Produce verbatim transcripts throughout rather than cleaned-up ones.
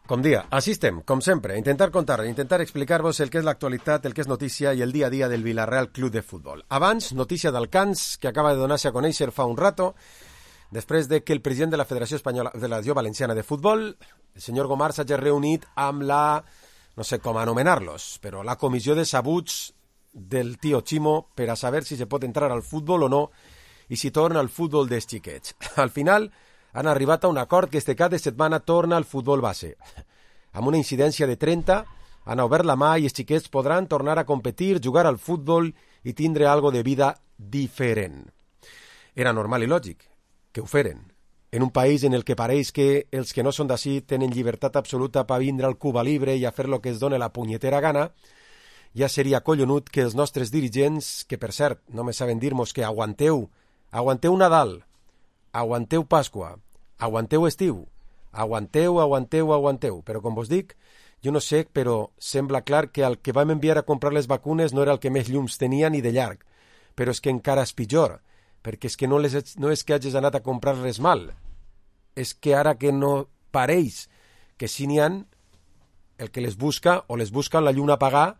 Com dia, així estem, com sempre, a intentar contar, a intentar explicar-vos el que és l'actualitat, el que és notícia i el dia a dia del Villarreal Club de Futbol. Abans, notícia del Cans, que acaba de donar-se a conèixer fa un rato, després de que el president de la Federació Espanyola de la Federació Valenciana de Futbol, el senyor Gomar, s'hagi reunit amb la, no sé com anomenar-los, però la comissió de sabuts del tio Chimo per a saber si se pot entrar al futbol o no i si torna al futbol dels xiquets. Al final han arribat a un acord que este cap de setmana torna al futbol base. Amb una incidència de trenta, han obert la mà i els xiquets podran tornar a competir, jugar al futbol i tindre algo de vida diferent. Era normal i lògic que ho feren. En un país en el que pareix que els que no són d'ací tenen llibertat absoluta per vindre al Cuba Libre i a fer lo que es dona la punyetera gana, ja seria collonut que els nostres dirigents, que per cert no me saben dir-nos que aguanteu, aguanteu Nadal, aguanteu Pasqua, aguanteu estiu, aguanteu, aguanteu, aguanteu. Però com vos dic, jo no sé, però sembla clar que el que vam enviar a comprar les vacunes no era el que més llums tenia ni de llarg. Però és que encara és pitjor, perquè és que no, les, no és que hagis anat a comprar res mal, és que ara que no pareix que si n'hi han, el que les busca o les busca la lluna apagada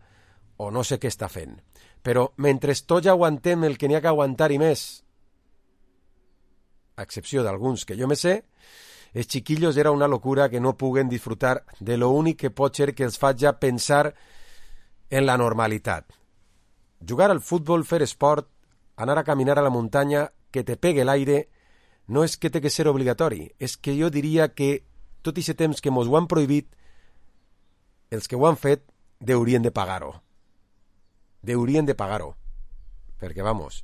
o no sé què està fent. Però mentre tots aguantem el que n'hi ha que aguantar i més, a excepció d'alguns que jo me sé, els chiquillos era una locura que no puguen disfrutar de lo únic que pot ser que els faci pensar en la normalitat. Jugar al futbol, fer esport, anar a caminar a la muntanya, que te pegue l'aire, no és que té que ser obligatori, és que jo diria que tot aquest temps que mos ho han prohibit, els que ho han fet deurien de pagar-ho. Deurien de pagar-ho. Perquè, vamos,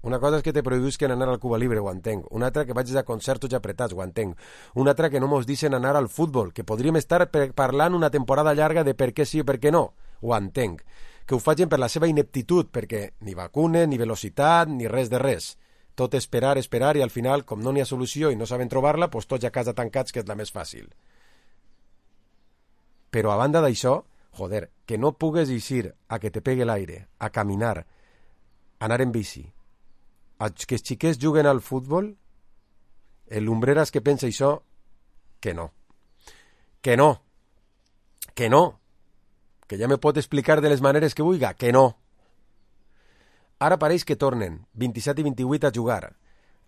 una cosa és que te prohibisquen anar al Cuba Libre, ho entenc. Una altra que vagis a concerts tots apretats, ho entenc. Una altra que no mos deixen anar al futbol, que podríem estar parlant una temporada llarga de per què sí i per què no, ho entenc. Que ho facin per la seva ineptitud, perquè ni vacunes, ni velocitat, ni res de res. Tot esperar, esperar, i al final, com no n'hi ha solució i no saben trobar-la, doncs tots a casa tancats, que és la més fàcil. Però a banda d'això, joder, que no pugues eixir a que te pegue l'aire, a caminar, a anar en bici, a que els xiquets juguen al futbol, el Lumbreras que pensa això, que no. Que no. Que no. Que ja me pot explicar de les maneres que vulga, que no. Ara pareix que tornen, vint-i-set i vint-i-vuit a jugar,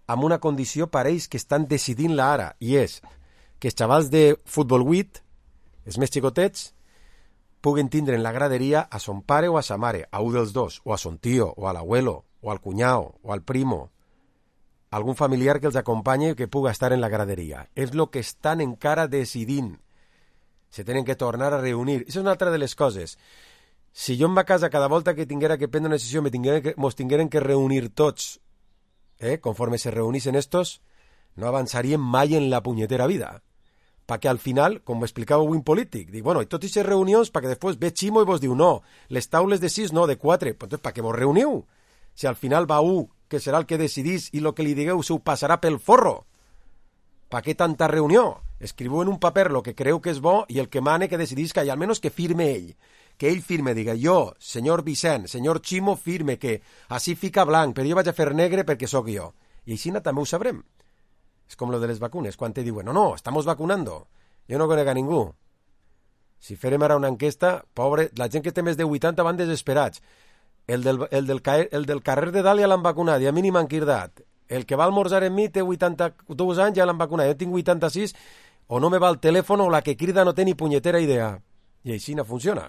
amb una condició pareix que estan decidint-la ara, i és que els xavals de futbol vuit, els més xicotets, puguen tindre en la graderia a son pare o a sa mare, a un dels dos, o a son tío, o a l'abuelo, o al cunyao, o al primo, algun familiar que els acompanyi que puga estar en la graderia. És el que estan encara decidint. Se tenen que tornar a reunir. Això és una altra de les coses. Si jo en ma casa cada volta que tinguera que prendre una decisió me tingueren que, mos tingueren que reunir tots, eh, conforme se reunissen estos, no avançaríem mai en la punyetera vida. Perquè al final, com explicava un polític, dic, bueno, i totes aquestes reunions perquè després ve Chimo i vos diu, no, les taules de sis, no, de quatre. Pues, entonces, per què vos reuniu? Si al final va un, que serà el que decidís, i el que li digueu se ho passarà pel forro. Per què tanta reunió? Escriviu en un paper el que creu que és bo i el que mane que decidís que hi ha, almenys que firme ell. Que ell firme, diga, jo, senyor Vicent, senyor Chimo, firme que així fica blanc, però jo vaig a fer negre perquè sóc jo. I així també ho sabrem. És com lo de les vacunes, quan te diuen, no, no, estamos vacunando. Jo no conec a ningú. Si farem ara una enquesta, pobre, la gent que té més de vuitanta van desesperats. El del, el, del, el del carrer de dalt ja l'han vacunat i a mi ni m'han cridat. El que va almorzar en mi té vuitanta-dos anys, ja l'han vacunat. Jo tinc vuitanta-sis, o no me va el telèfon o la que crida no té ni punyetera idea. I així no funciona.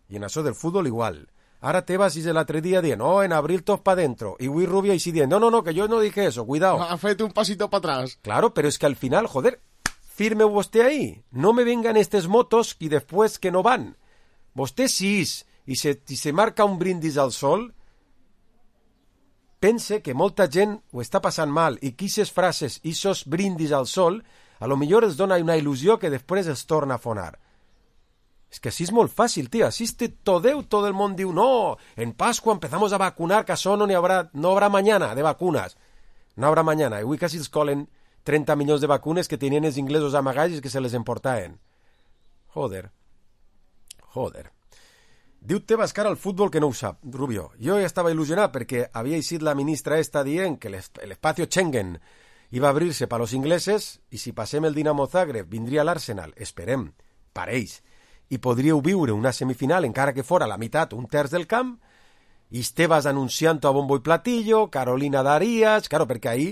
I en això del futbol igual. Ara Tebas és l'altre dia dient, no, en abril tot pa dentro. I Luis Rubio així dient, no, no, no, que yo no dije eso, cuidado. Ha fet un pasito para atrás. Claro, pero es que al final, joder, firme vostè ahí. No me vengan estes motos y después que no van. Vostè sí i se, i se marca un brindis al sol, pense que molta gent ho està passant mal i que aquestes frases, aquests brindis al sol, a lo millor els dona una il·lusió que després es torna a fonar. És que així és molt fàcil, tio. Així és todeu, todo el món diu, no, en Pascua empezamos a vacunar, que això no n'hi haurà, no haurà mañana de vacunes. No haurà mañana. I avui quasi els colen trenta milions de vacunes que tenien els inglesos amagats i que se les emportaven. Joder. Joder. Diu Tebas cara al futbol que no ho sap, Rubio. Jo ja estava il·lusionat perquè havia eixit la ministra esta dient que l'espacio Schengen iba a abrir-se per los ingleses i si passem el Dinamo Zagreb vindria l'Arsenal, esperem, pareix, i podríeu viure una semifinal encara que fora la meitat, un terç del camp, i Estebas anunciant-ho a bombo i platillo, Carolina Darías, claro, perquè ahí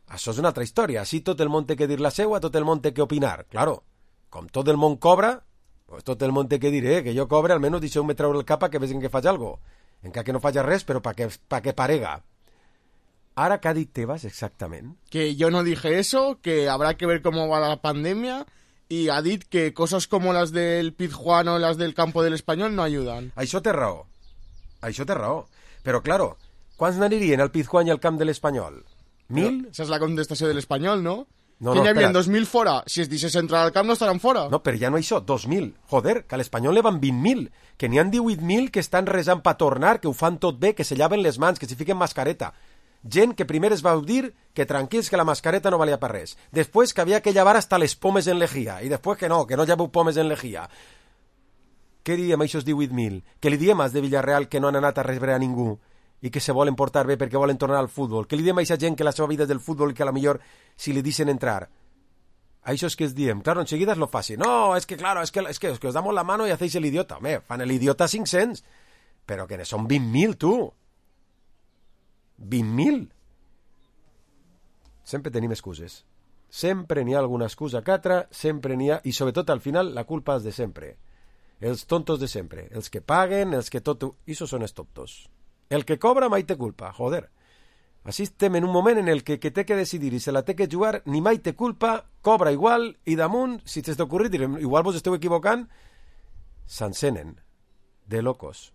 això és una altra història, així tot el món té que dir la seua, tot el món té que opinar, claro, com tot el món cobra, pues tot el món té que dir, eh, que jo cobre, almenys deixeu-me treure el capa que vegin que faig algo, encara que no faig res, però pa que, pa que parega. Ara, què ha dit Tebas exactament? Que yo no dije eso, que habrá que ver cómo va la pandemia, y ha dit que cosas como las del Pizjuán o las del campo del Espanyol no ayudan. Això té raó, això té raó, però, claro, quants n'anirien al Pizjuán i al camp de l'Espanyol? Mil? Esa es la contestació de l'Espanyol, no? No, que no, n'hi havia espera. dos mil fora. Si es deixés entrar al camp no estaran fora. No, però ja no això, dos mil. Joder, que a l'Espanyol ne van vint mil, que n'hi han divuit mil que estan resant per tornar, que ho fan tot bé, que se llaven les mans, que s'hi fiquen mascareta. Gent que primer es va dir que tranquils, que la mascareta no valia per res. Després que havia que llevar hasta les pomes en lejía. I després que no, que no lleveu pomes en lejía. Què diem a aquests divuit mil? Que li diem als de Villarreal que no han anat a rebre a ningú i que se volen portar bé perquè volen tornar al futbol? Què li diem a aquesta gent que la seva vida és del futbol i que a la millor si li deixen entrar? A això és que es diem. Claro, enseguida es lo fácil. No, es que claro, es que, es que, es que os damos la mano y hacéis el idiota. Home, fan el idiota cinc-cents. Però que són vint mil, tu. vint mil. Sempre tenim excuses. Sempre n'hi ha alguna excusa que altra, sempre n'hi ha... I sobretot al final la culpa és de sempre. Els tontos de sempre. Els que paguen, els que tot... Isos són els tontos. El que cobra mai té culpa, joder. Així estem en un moment en el que, que té que decidir i se la té que jugar, ni mai té culpa, cobra igual, i damunt, si t'has d'ocorrir, direm, igual vos esteu equivocant, s'encenen de locos.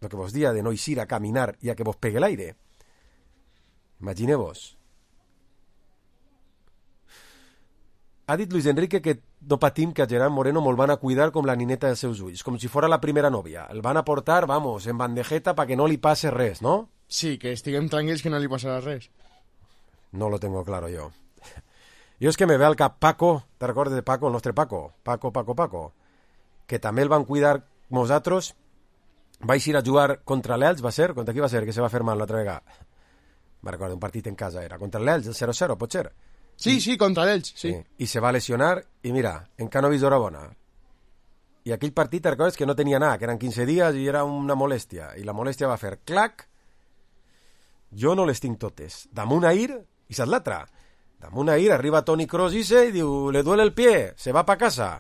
Lo que vos dia de no eixir a caminar i a que vos pegue l'aire. Imagineu-vos. Ha dit Luis Enrique que no patim que a Gerard Moreno mos van a cuidar com la nineta dels seus ulls, com si fora la primera nòvia. El van a portar, vamos, en bandejeta pa que no li passe res, no? Sí, que estiguem tranquils que no li passarà res. No lo tengo claro yo. Jo és que me ve al cap Paco, te recordes de Paco, el nostre Paco? Paco, Paco, Paco. Que també el van cuidar nosaltres. Vaig ir a jugar contra l'Elx, va ser? Contra qui va ser que se va fer mal l'altra vegada? Me recordo, un partit en casa era. Contra l'Elx, el zero zero, pot ser? Sí, sí, contra l'Elx, sí. sí. I se va lesionar, i mira, encara no he vist hora bona. I aquell partit, te recordes que no tenia nada, que eren quinze dies i era una molèstia. I la molèstia va fer clac. Jo no les tinc totes. Damunt ahir, i saps l'altra? Damunt ahir arriba Toni Kroos i se i diu, le duele el pie, se va pa casa.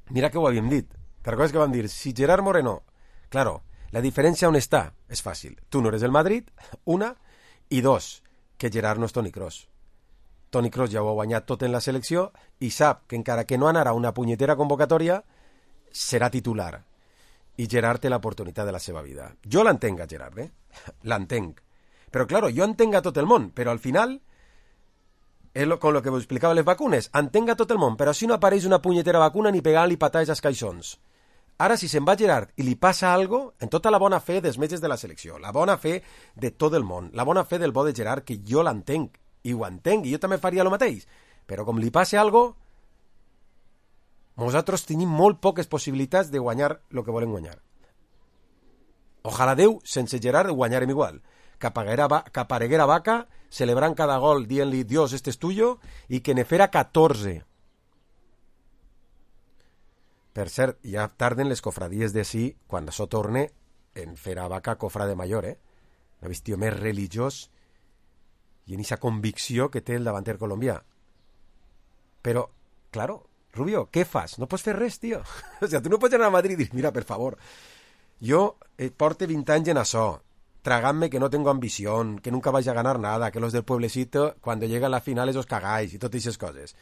Mira que ho havíem dit. Te recordes que vam dir, si Gerard Moreno... Claro, la diferència on està? És fàcil. Tu no eres el Madrid, una, i dos, que Gerard no és Toni Kroos. Toni Kroos ja ho ha guanyat tot en la selecció i sap que encara que no anarà a una punyetera convocatòria, serà titular. I Gerard té l'oportunitat de la seva vida. Jo l'entenc a Gerard, eh? L'entenc. Però, claro, jo entenc a tot el món, però al final, lo, con lo que vos explicava les vacunes, entenc a tot el món, però si no apareix una punyetera vacuna ni pegant-li patades als caixons. Ara, si se'n va Gerard i li passa algo, en tota la bona fe dels metges de la selecció, la bona fe de tot el món, la bona fe del bo de Gerard, que jo l'entenc, i ho entenc, i jo també faria el mateix, però com li passe algo, nosaltres tenim molt poques possibilitats de guanyar el que volem guanyar. Ojalà Déu, sense Gerard, guanyarem igual. Que apareguera Vaca, celebrant cada gol, dient-li, Dios, este es tuyo, i que ne fera catorze. Per cert, ja tarden les cofradies de sí, quan això torne, en fer a Vaca cofra de major, eh? Un vestiu més religiós i en aquesta convicció que té el davanter colombià. Però, claro, Rubio, què fas? No pots fer res, tio. O sigui, tu no pots anar a Madrid i dir, mira, per favor, jo eh, porte vint anys en això, tragant-me que no tengo ambición, que nunca vais a ganar nada, que los del pueblecito, cuando llega a la finales os cagáis i totes aquestes coses.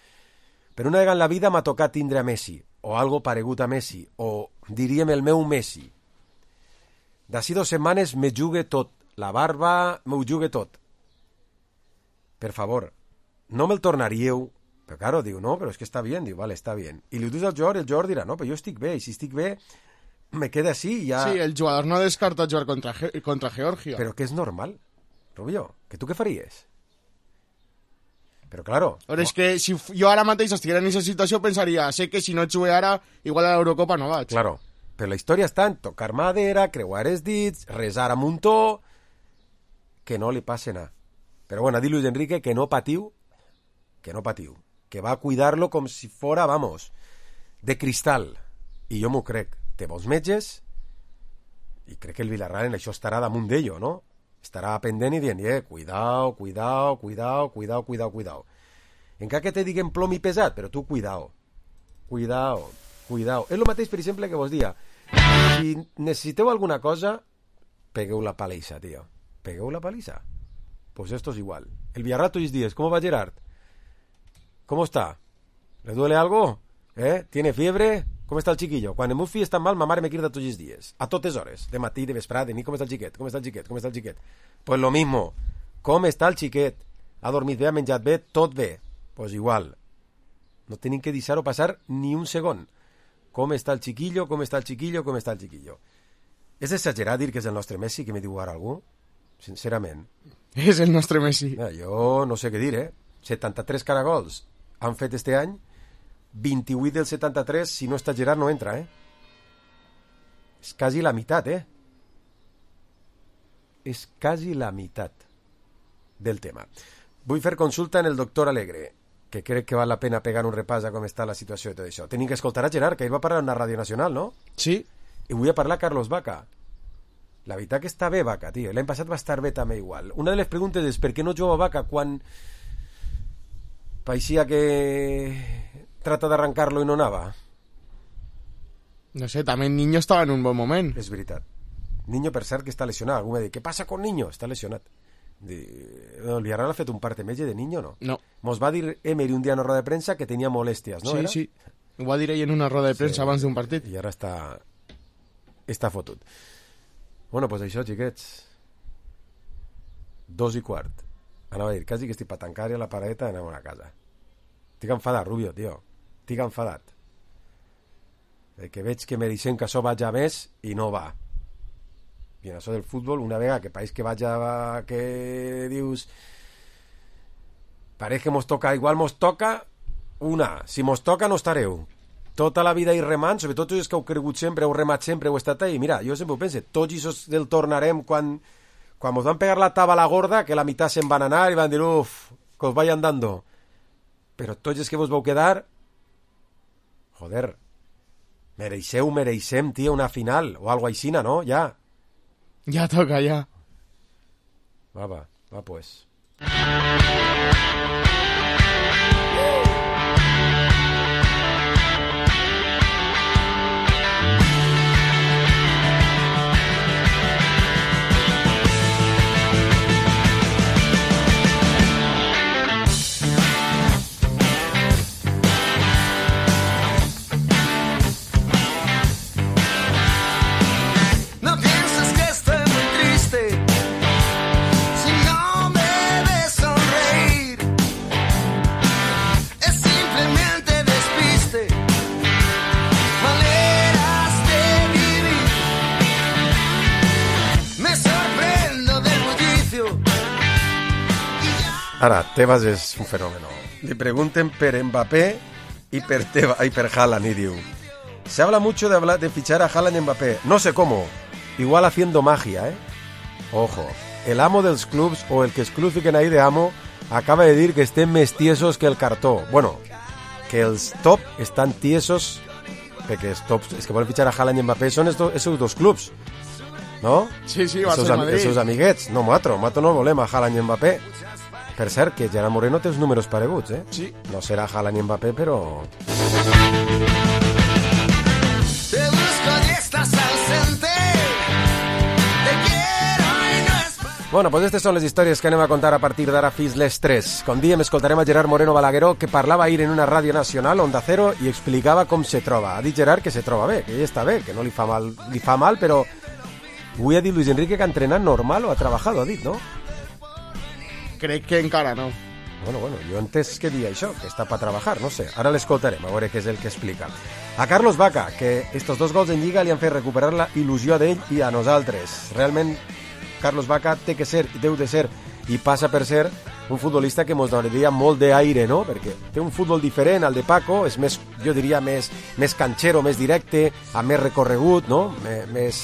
Però una vegada en la vida m'ha tocat tindre a Messi, o algo paregut a Messi, o diríem el meu Messi. D'ací dos setmanes me jugue tot, la barba m'ho jugue tot. Per favor, no me'l tornaríeu. Però claro, diu, no, però és que està bien, diu, vale, està bien. I li dius al jugador, el jugador dirà, no, però jo estic bé, i si estic bé, me queda així i ja... Sí, el jugador no descarta jugar contra, Ge contra Georgia. Però que és normal, Rubio, que tu què faries? Però claro... Però és que si jo ara mateix estiguera en aquesta situació pensaria, sé que si no jugué ara, igual a l'Eurocopa no vaig. Claro, però la història està en tocar madera, creuar els dits, resar a muntó, que no li passe nada. Però bueno, ha dit Luis Enrique que no patiu, que no patiu, que va a cuidar-lo com si fora, vamos, de cristal. I jo m'ho crec. Té bons metges i crec que el Villarreal en això estarà damunt d'ello, no? Estarà pendent i dient, eh, cuidao, cuidao, cuidao, cuidao, cuidao, cuidao. Encara que te diguen plom i pesat, però tu cuidao, cuidao, cuidao. És el mateix, per exemple, que vos dia. Si necessiteu alguna cosa, pegueu la palissa, tio. Pegueu la palissa. Pues esto es igual. El Villarreal tots els dies, ¿cómo va Gerard? ¿Cómo está? ¿Le duele algo? ¿Eh? ¿Tiene fiebre? Com està el chiquillo? Quan el meu fill està mal, ma mare me crida tots els dies. A totes hores. De matí, de vesprada, de nit. Com està el xiquet? Com està el xiquet? Com està el xiquet? Pues lo mismo. Com està el xiquet? Ha dormit bé, ha menjat bé, tot bé. Pues igual. No tenim que deixar-ho passar ni un segon. Com està el chiquillo? Com està el chiquillo? Com està el chiquillo? És exagerat dir que és el nostre Messi, que me diu ara algú? Sincerament. És el nostre Messi. Mira, jo no sé què dir, eh? setanta-tres caragols han fet este any, vint-i-vuit del setanta-tres, si no està Gerard no entra, eh? És quasi la meitat, eh? És quasi la meitat del tema. Vull fer consulta en el doctor Alegre, que crec que val la pena pegar un repàs a com està la situació i tot això. Tenim que escoltar a Gerard, que ell va parlar en la Ràdio Nacional, no? Sí. I vull a parlar a Carlos Vaca. La veritat que està bé Vaca, tio. L'any passat va estar bé també igual. Una de les preguntes és per què no juga Vaca quan paeixia que trata d'arrancar-lo i no anava. No sé, també Niño estava en un bon moment. És veritat. Niño, per cert, que està lesionat. Algú m'ha dit, què passa con Niño? Està lesionat. El Villarreal ha fet un parte metge de Niño, no? No. Mos va dir Emery un dia en una roda de premsa que tenia molèsties, no? Sí, era? sí. Ho va dir ell en una roda de premsa sí, abans d'un partit. I ara està està fotut. Bueno, pues això, xiquets. Dos i quart. Anava a dir, quasi que estic per tancar a la paradeta i anem a casa. Estic enfadat, Rubio, tio. Estic enfadat. Que veig que mereixem que això vaja més i no va. I en això del futbol, una vegada que pareix que vaja, que dius pareix que mos toca, igual mos toca una, si mos toca no estareu tota la vida i remant, sobretot els que heu cregut sempre, heu remat sempre, heu estat ahí. Mira, jo sempre ho pense, tots els del tornarem quan, quan mos van pegar la taba a la gorda, que la meitat se'n van anar i van dir, uff, que us vayan dando. Però tots els que vos vau quedar, joder, mereixeu, mereixem, tio, una final, o algo aixina, no? Ja. Ja toca, ja. Va, va, va, pues. Ara, Tebas és un fenómeno. Li pregunten per Mbappé y per, Teba, y per Haaland y diu, se habla mucho de, hablar, de fichar a Haaland y Mbappé. No sé cómo. Igual haciendo magia, ¿eh? Ojo. El amo dels clubs o el que es club fiquen ahí de amo acaba de dir que estem més tiesos que el cartó. Bueno, que els top estan tiesos perquè els tops, és que volen fitxar a Haaland i Mbappé són esos dos clubs, no? Sí, sí, va ser Madrid. Els seus amiguets. No, nosaltres, nosaltres no volem a Haaland i Mbappé. Per cert, que Gerard Moreno té els números pareguts, eh? Sí. No serà Haaland i Mbappé, però... Te busco y estás ausente. Te quiero y no es... Bueno, pues aquestes són les històries que anem a contar a partir d'ara fins les tres. Com diem, escoltarem a Gerard Moreno Balagueró, que parlava ahir en una ràdio nacional, Onda Cero, i explicava com se troba. Ha dit Gerard que se troba bé, que ell està bé, que no li fa mal, li fa mal, però... Avui ha dit Luis Enrique que ha entrenat normal o ha treballat, ha dit, no? Crec que encara no. Bueno, bueno, jo he entès que dia això, que està per treballar, no sé. Ara l'escoltarem, a veure què és el que explica. A Carlos Vaca, que estos dos gols en Lliga li han fet recuperar la il·lusió d'ell i a nosaltres. Realment, Carlos Vaca té que ser, deu de ser, i passa per ser, un futbolista que mos donaria molt d'aire, no? Perquè té un futbol diferent al de Paco, és més, jo diria, més, més canchero, més directe, amb més recorregut, no? Més,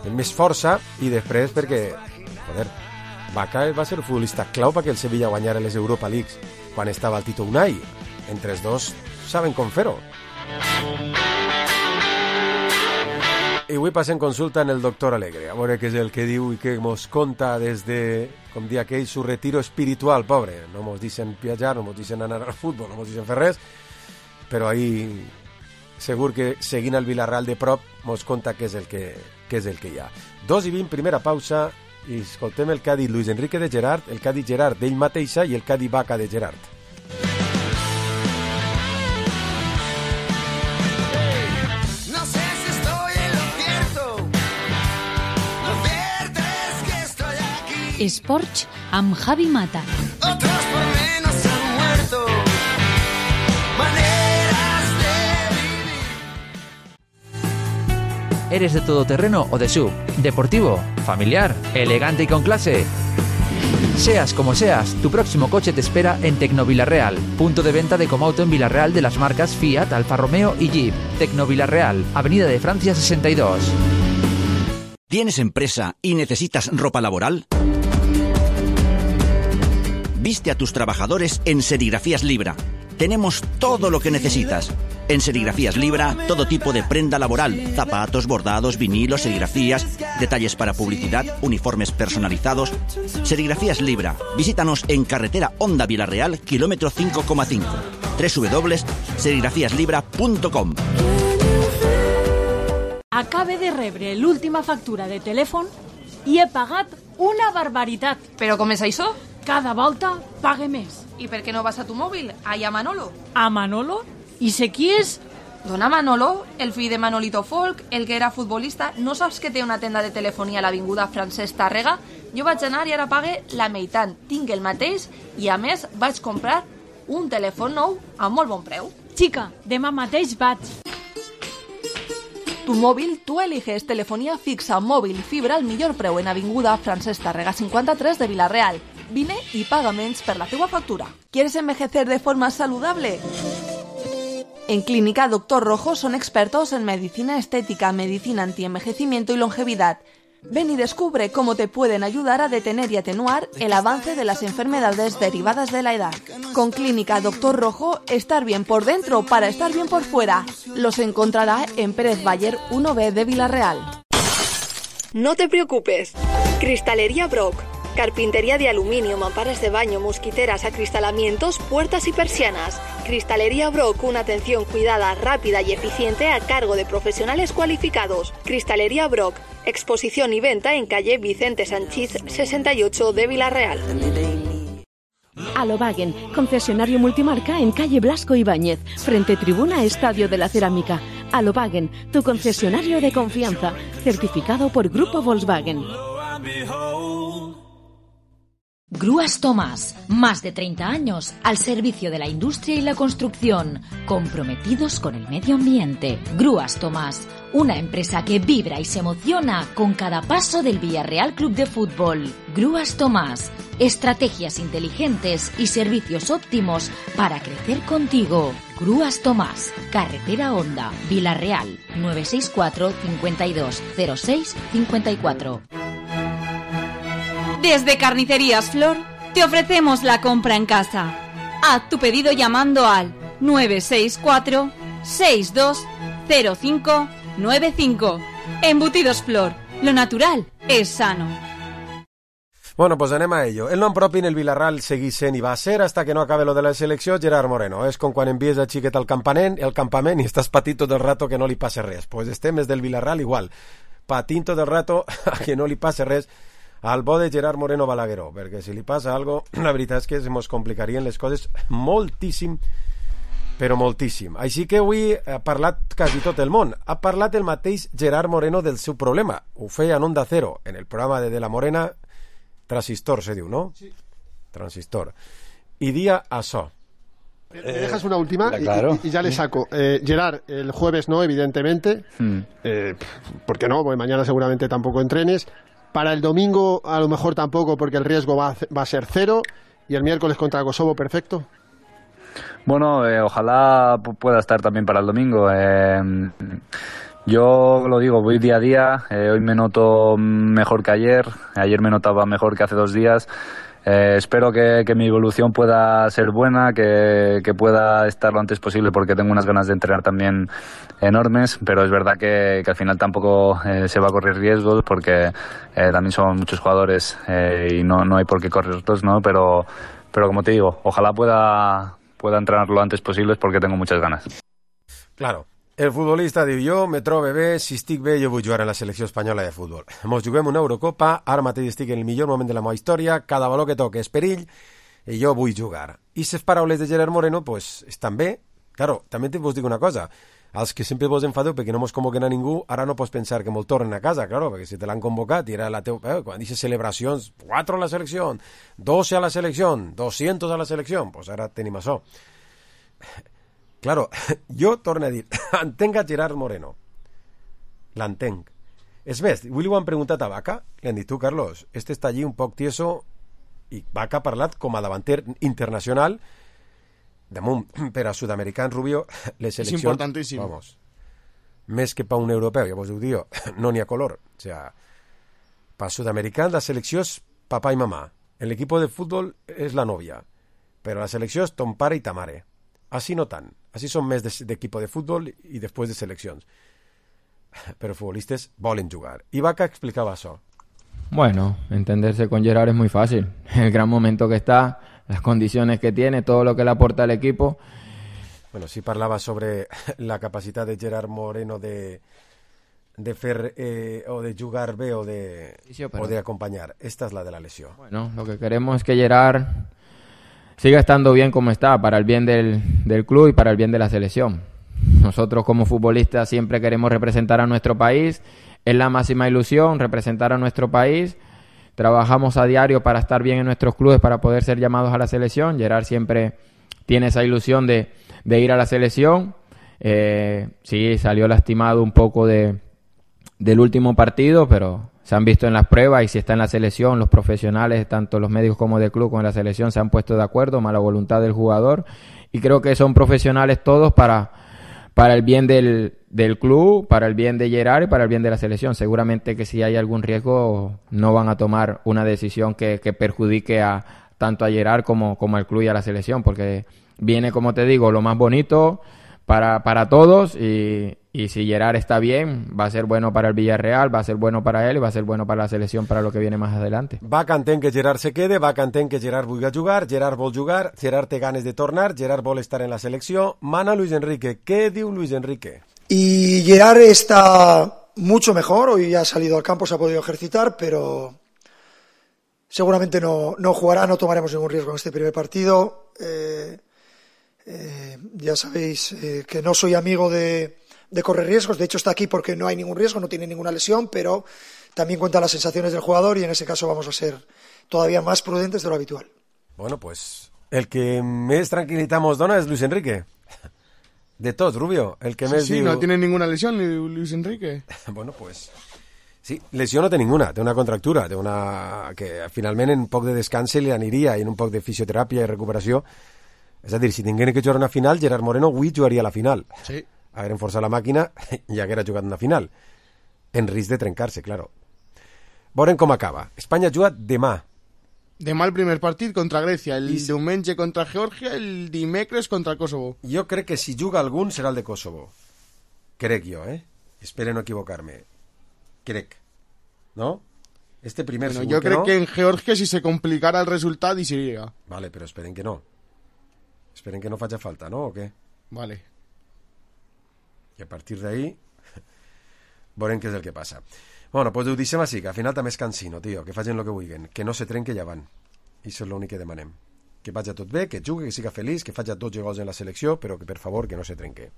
més força, i després perquè, joder, Vaca va ser el futbolista clau perquè el Sevilla guanyara les Europa Leagues quan estava el Tito Unai. Entre els dos saben com fer-ho. I avui passem consulta en el doctor Alegre, a veure què és el que diu i què mos conta des de, com dia aquell, su retiro espiritual, pobre. No mos dicen viatjar, no mos dicen anar al futbol, no mos dicen fer res, però ahí segur que seguint el Villarreal de prop mos conta què és el que, què és el que hi ha. Dos i vint, primera pausa, i escoltem el que ha dit Luis Enrique de Gerard, el que ha dit Gerard d'ell mateixa i el que ha dit Vaca de Gerard. Esports amb Javi Mata. Otros por menos han muerto. Maneras de vivir. ¿Eres de todoterreno o de sub? ¿Deportivo? ¿Familiar? ¿Elegante y con clase? Seas como seas, tu próximo coche te espera en Tecnovilarreal, punto de venta de Comauto en Villarreal de las marcas Fiat, Alfa Romeo y Jeep. Tecnovilarreal, Avenida de Francia sesenta y dos. ¿Tienes empresa y necesitas ropa laboral? Viste a tus trabajadores en Serigrafías Libra. Tenemos todo lo que necesitas. En Serigrafías Libra, todo tipo de prenda laboral, zapatos, bordados, vinilos, serigrafías, detalles para publicidad, uniformes personalizados. Serigrafías Libra. Visítanos en carretera Honda Villarreal, kilómetro cinco coma cinco. doble u doble u doble u punt serigrafías libra punt com. Acabe de rebre l'última factura de telèfon i he pagat una barbaritat. Però com és això? Cada volta pague més. I per què no vas a tu mòbil? Allà a Manolo. A Manolo? I sé qui és? Dona Manolo, el fill de Manolito Folk, el que era futbolista. No saps que té una tenda de telefonia a l'avinguda Francesc Tàrrega? Jo vaig anar i ara pague la meitat. Tinc el mateix i a més vaig comprar un telèfon nou a molt bon preu. Xica, demà mateix vaig. Tu móvil, tú eliges telefonía fixa, móvil, fibra al millor preu en avinguda Francesc Tàrrega cincuenta-tres de Villarreal. Vine y paga menys per la teua factura. ¿Quieres envejecer de forma saludable? En Clínica Doctor Rojo son expertos en medicina estética, medicina antienvejecimiento y longevidad. Ven y descubre cómo te pueden ayudar a detener y atenuar el avance de las enfermedades derivadas de la edad. Con Clínica Doctor Rojo, estar bien por dentro para estar bien por fuera. Los encontrará en Pérez Bayer uno B de Villarreal. No te preocupes. Cristalería Brock. Carpintería de aluminio, mamparas de baño, mosquiteras, acristalamientos, puertas y persianas. Cristalería Brock, una atención cuidada, rápida y eficiente a cargo de profesionales cualificados. Cristalería Brock, exposición y venta en calle Vicente Sanchís sesenta y ocho de Villarreal. Alobagen, concesionario multimarca en calle Blasco Ibáñez, frente tribuna Estadio de la Cerámica. Alobagen, tu concesionario de confianza, certificado por Grupo Volkswagen. Grúas Tomás, más de treinta años al servicio de la industria y la construcción, comprometidos con el medio ambiente. Grúas Tomás, una empresa que vibra y se emociona con cada paso del Villarreal Club de Fútbol. Grúas Tomás, estrategias inteligentes y servicios óptimos para crecer contigo. Grúas Tomás, carretera Honda, Villarreal, nueve seis cuatro, cincuenta y dos, cero seis, cincuenta y cuatro. Desde Carnicerías Flor te ofrecemos la compra en casa. Haz tu pedido llamando al nueve seis cuatro, seis dos cero cinco nueve cinco. Embutidos Flor, lo natural es sano. Bueno, pues anem a ello. El nom propi en el Villarreal seguís sent i va ser hasta que no acabe lo de la selecció Gerard Moreno. És com quan envies a xiquet al campament, el campament i estàs patint tot el rato que no li passe res. Pues estem des del Villarreal igual, patint tot el rato a que no li passe res al bo de Gerard Moreno Balagueró, perquè si li passa algo, la veritat és que se mos complicarien les coses moltíssim, però moltíssim. Així que avui ha parlat quasi tot el món. Ha parlat el mateix Gerard Moreno del seu problema. Ho feia en Onda Cero, en el programa de De la Morena, Transistor se diu, ¿no? Sí. Transistor. Y día això. ¿Me dejas una última? Eh, claro. y, y ya le saco. Eh, Gerard, el jueves no, evidentemente. Hmm. Eh, ¿Por qué no? Porque mañana seguramente tampoco entrenes. Para el domingo a lo mejor tampoco, porque el riesgo va a, va a ser cero. Y el miércoles contra Kosovo, perfecto. Bueno, eh, ojalá pueda estar también para el domingo. Eh, Yo lo digo, voy día a día, eh, hoy me noto mejor que ayer, ayer me notaba mejor que hace dos días. Eh, espero que, que mi evolución pueda ser buena, que, que pueda estar lo antes posible porque tengo unas ganas de entrenar también enormes, pero es verdad que, que al final tampoco eh, se va a correr riesgos porque eh, también son muchos jugadores eh, y no, no hay por qué correrlos, ¿no? Pero, pero como te digo, ojalá pueda, pueda entrenar lo antes posible porque tengo muchas ganas. Claro. El futbolista diu, jo me trobo bé, si estic bé jo vull jugar en la selecció espanyola de futbol. Mos juguem una Eurocopa, ara mateix estic en el millor moment de la meva història, cada valor que toque és perill, i jo vull jugar. I les paraules de Gerard Moreno, pues, estan bé. Claro, també te vos dic una cosa, als que sempre vos enfadeu perquè no mos convoquen a ningú, ara no pots pensar que molt tornen a casa, claro, perquè si te l'han convocat i era la teu... Eh, quan dices celebracions, quatre a la selecció, doce a la selecció, doscientos a la selecció, pues ara tenim això. Claro, jo torno a dir, entenc a Gerard Moreno. L'entenc. És més, avui li ho han preguntat a Vaca, li han dit, tu, Carlos, este està allí un poc tieso, i Vaca ha parlat com a davanter internacional, damunt, per a sud-americans, Rubio, les seleccions... És importantíssim. Vamos, més que per un europeu, ja vos ho diu, no n'hi ha color. O sea, per sud-americans la selecció és papà i mamà. El equipo de futbol és la novia, però la selecció és ton pare i ta mare. Así no tant. Así son més d'equipo de futbol i després de seleccions. Però futbolistes volen jugar. I Vaca explicava això. Bueno, entenderse con Gerard es muy fácil. El gran momento que está, las condiciones que tiene, todo lo que le aporta al equipo. Bueno, sí parlava sobre la capacitat de Gerard Moreno de, de fer eh, o de jugar bé o de, sí, pero... o de acompañar. Esta es la de la lesión. Bueno, lo que queremos es que Gerard siga estando bien como está, para el bien del, del club y para el bien de la selección. Nosotros como futbolistas siempre queremos representar a nuestro país, es la máxima ilusión representar a nuestro país, trabajamos a diario para estar bien en nuestros clubes, para poder ser llamados a la selección. Gerard siempre tiene esa ilusión de, de ir a la selección, eh, sí, salió lastimado un poco de, del último partido, pero... se han visto en las pruebas y si está en la selección, los profesionales, tanto los médicos como del club, como la selección, se han puesto de acuerdo, más la voluntad del jugador. Y creo que son profesionales todos para, para el bien del, del club, para el bien de Gerard y para el bien de la selección. Seguramente que si hay algún riesgo no van a tomar una decisión que, que perjudique a, tanto a Gerard como, como al club y a la selección, porque viene, como te digo, lo más bonito para, para todos y... y si Gerard está bien, va a ser bueno para el Villarreal, va a ser bueno para él y va a ser bueno para la selección para lo que viene más adelante. Vaca entén que Gerard se quede, Vaca entén que Gerard vulgui jugar, Gerard vol jugar, Gerard té ganes de tornar, Gerard vol estar en la selecció. Mana Luis Enrique. ¿Qué diu Luis Enrique? Y Gerard está mucho mejor, hoy ha salido al campo, se ha podido ejercitar, pero seguramente no, no jugará, no tomaremos ningún riesgo en este primer partido. Eh, eh, ya sabéis eh, que no soy amigo de... de correr riesgos, de hecho está aquí porque no hay ningún riesgo, no tiene ninguna lesión, pero también cuenta las sensaciones del jugador y en ese caso vamos a ser todavía más prudentes de lo habitual. Bueno, pues el que més tranquil·litat mos dona és Luis Enrique. De tot, Rubio. El que sí, més sí, diu... no tiene ninguna lesión Luis Enrique. Bueno, pues... Sí, lesió no té ninguna, té una contractura, té una... que finalment en poc de descans li aniria i en un poc de fisioteràpia i recuperació. És a dir, si tinguin que jugar una final, Gerard Moreno avui jugaria a la final. Sí. Hagueren forçat la màquina i haguera jugat una final. En risc de trencar-se, claro. Veurem com acaba. Espanya juga demà. Demà el primer partit contra Grècia, el I... diumenge contra Geòrgia, el dimecres contra Kosovo. Jo crec que si juga algun serà el de Kosovo. Crec jo, eh? Espero no equivocar-me. Crec. ¿No? Este primer bueno, segur yo que creo no. que en Georgia si se complicara el resultado y sería. Vale, pero esperen que no. Esperen que no faci falta, ¿no? ¿O qué? Vale. I a partir d'ahí veurem què és el que passa. Bueno, doncs ho deixem així, que al final també és cansino, tio, que facin el que vulguin, que no se trenque ja van. I això és l'únic que demanem. Que vagi tot bé, que jugui, que siga feliç, que faci dotze gols en la selecció, però que per favor que no se trenque.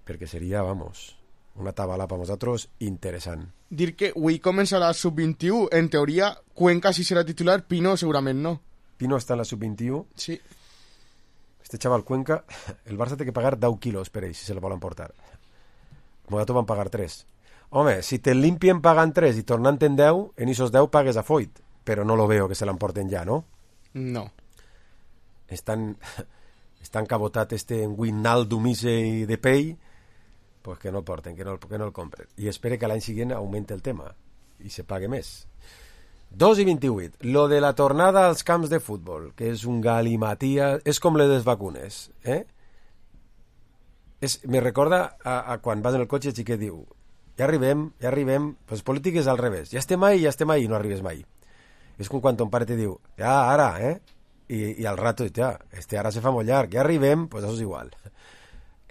Perquè seria, vamos, una tabala per nosaltres interessant. Dir que avui començarà la sub vint-i-u, en teoria Cuenca sí serà titular, Pino segurament no. Pino està en la sub vint-i-u? Sí. Este chaval Cuenca, el Barça té que pagar deu quilos per ell, si se el volen portar. Mogato van pagar tres. Home, si te limpien pagant tres i tornant en deu, en esos deu pagues a Foyt, però no lo veo que se l'emporten ja, no? No. Estan, estan cabotat este Wijnaldum i de Pei pues que no el porten, que no, que no el compren. I espere que l'any següent augmente el tema i se pague més. dos i vint-i-vuit. Lo de la tornada als camps de futbol, que és un galimatia, és com les vacunes, eh? És, me recorda a, a quan vas en el cotxe i xiquet diu, ja arribem, ja arribem, pues polític és al revés, ja estem mai, ja estem mai i no arribes mai. És com quan ton pare te diu, ja, ara, eh? I, i al rato, ja, este ara se fa molt llarg, ja arribem, pues això és igual.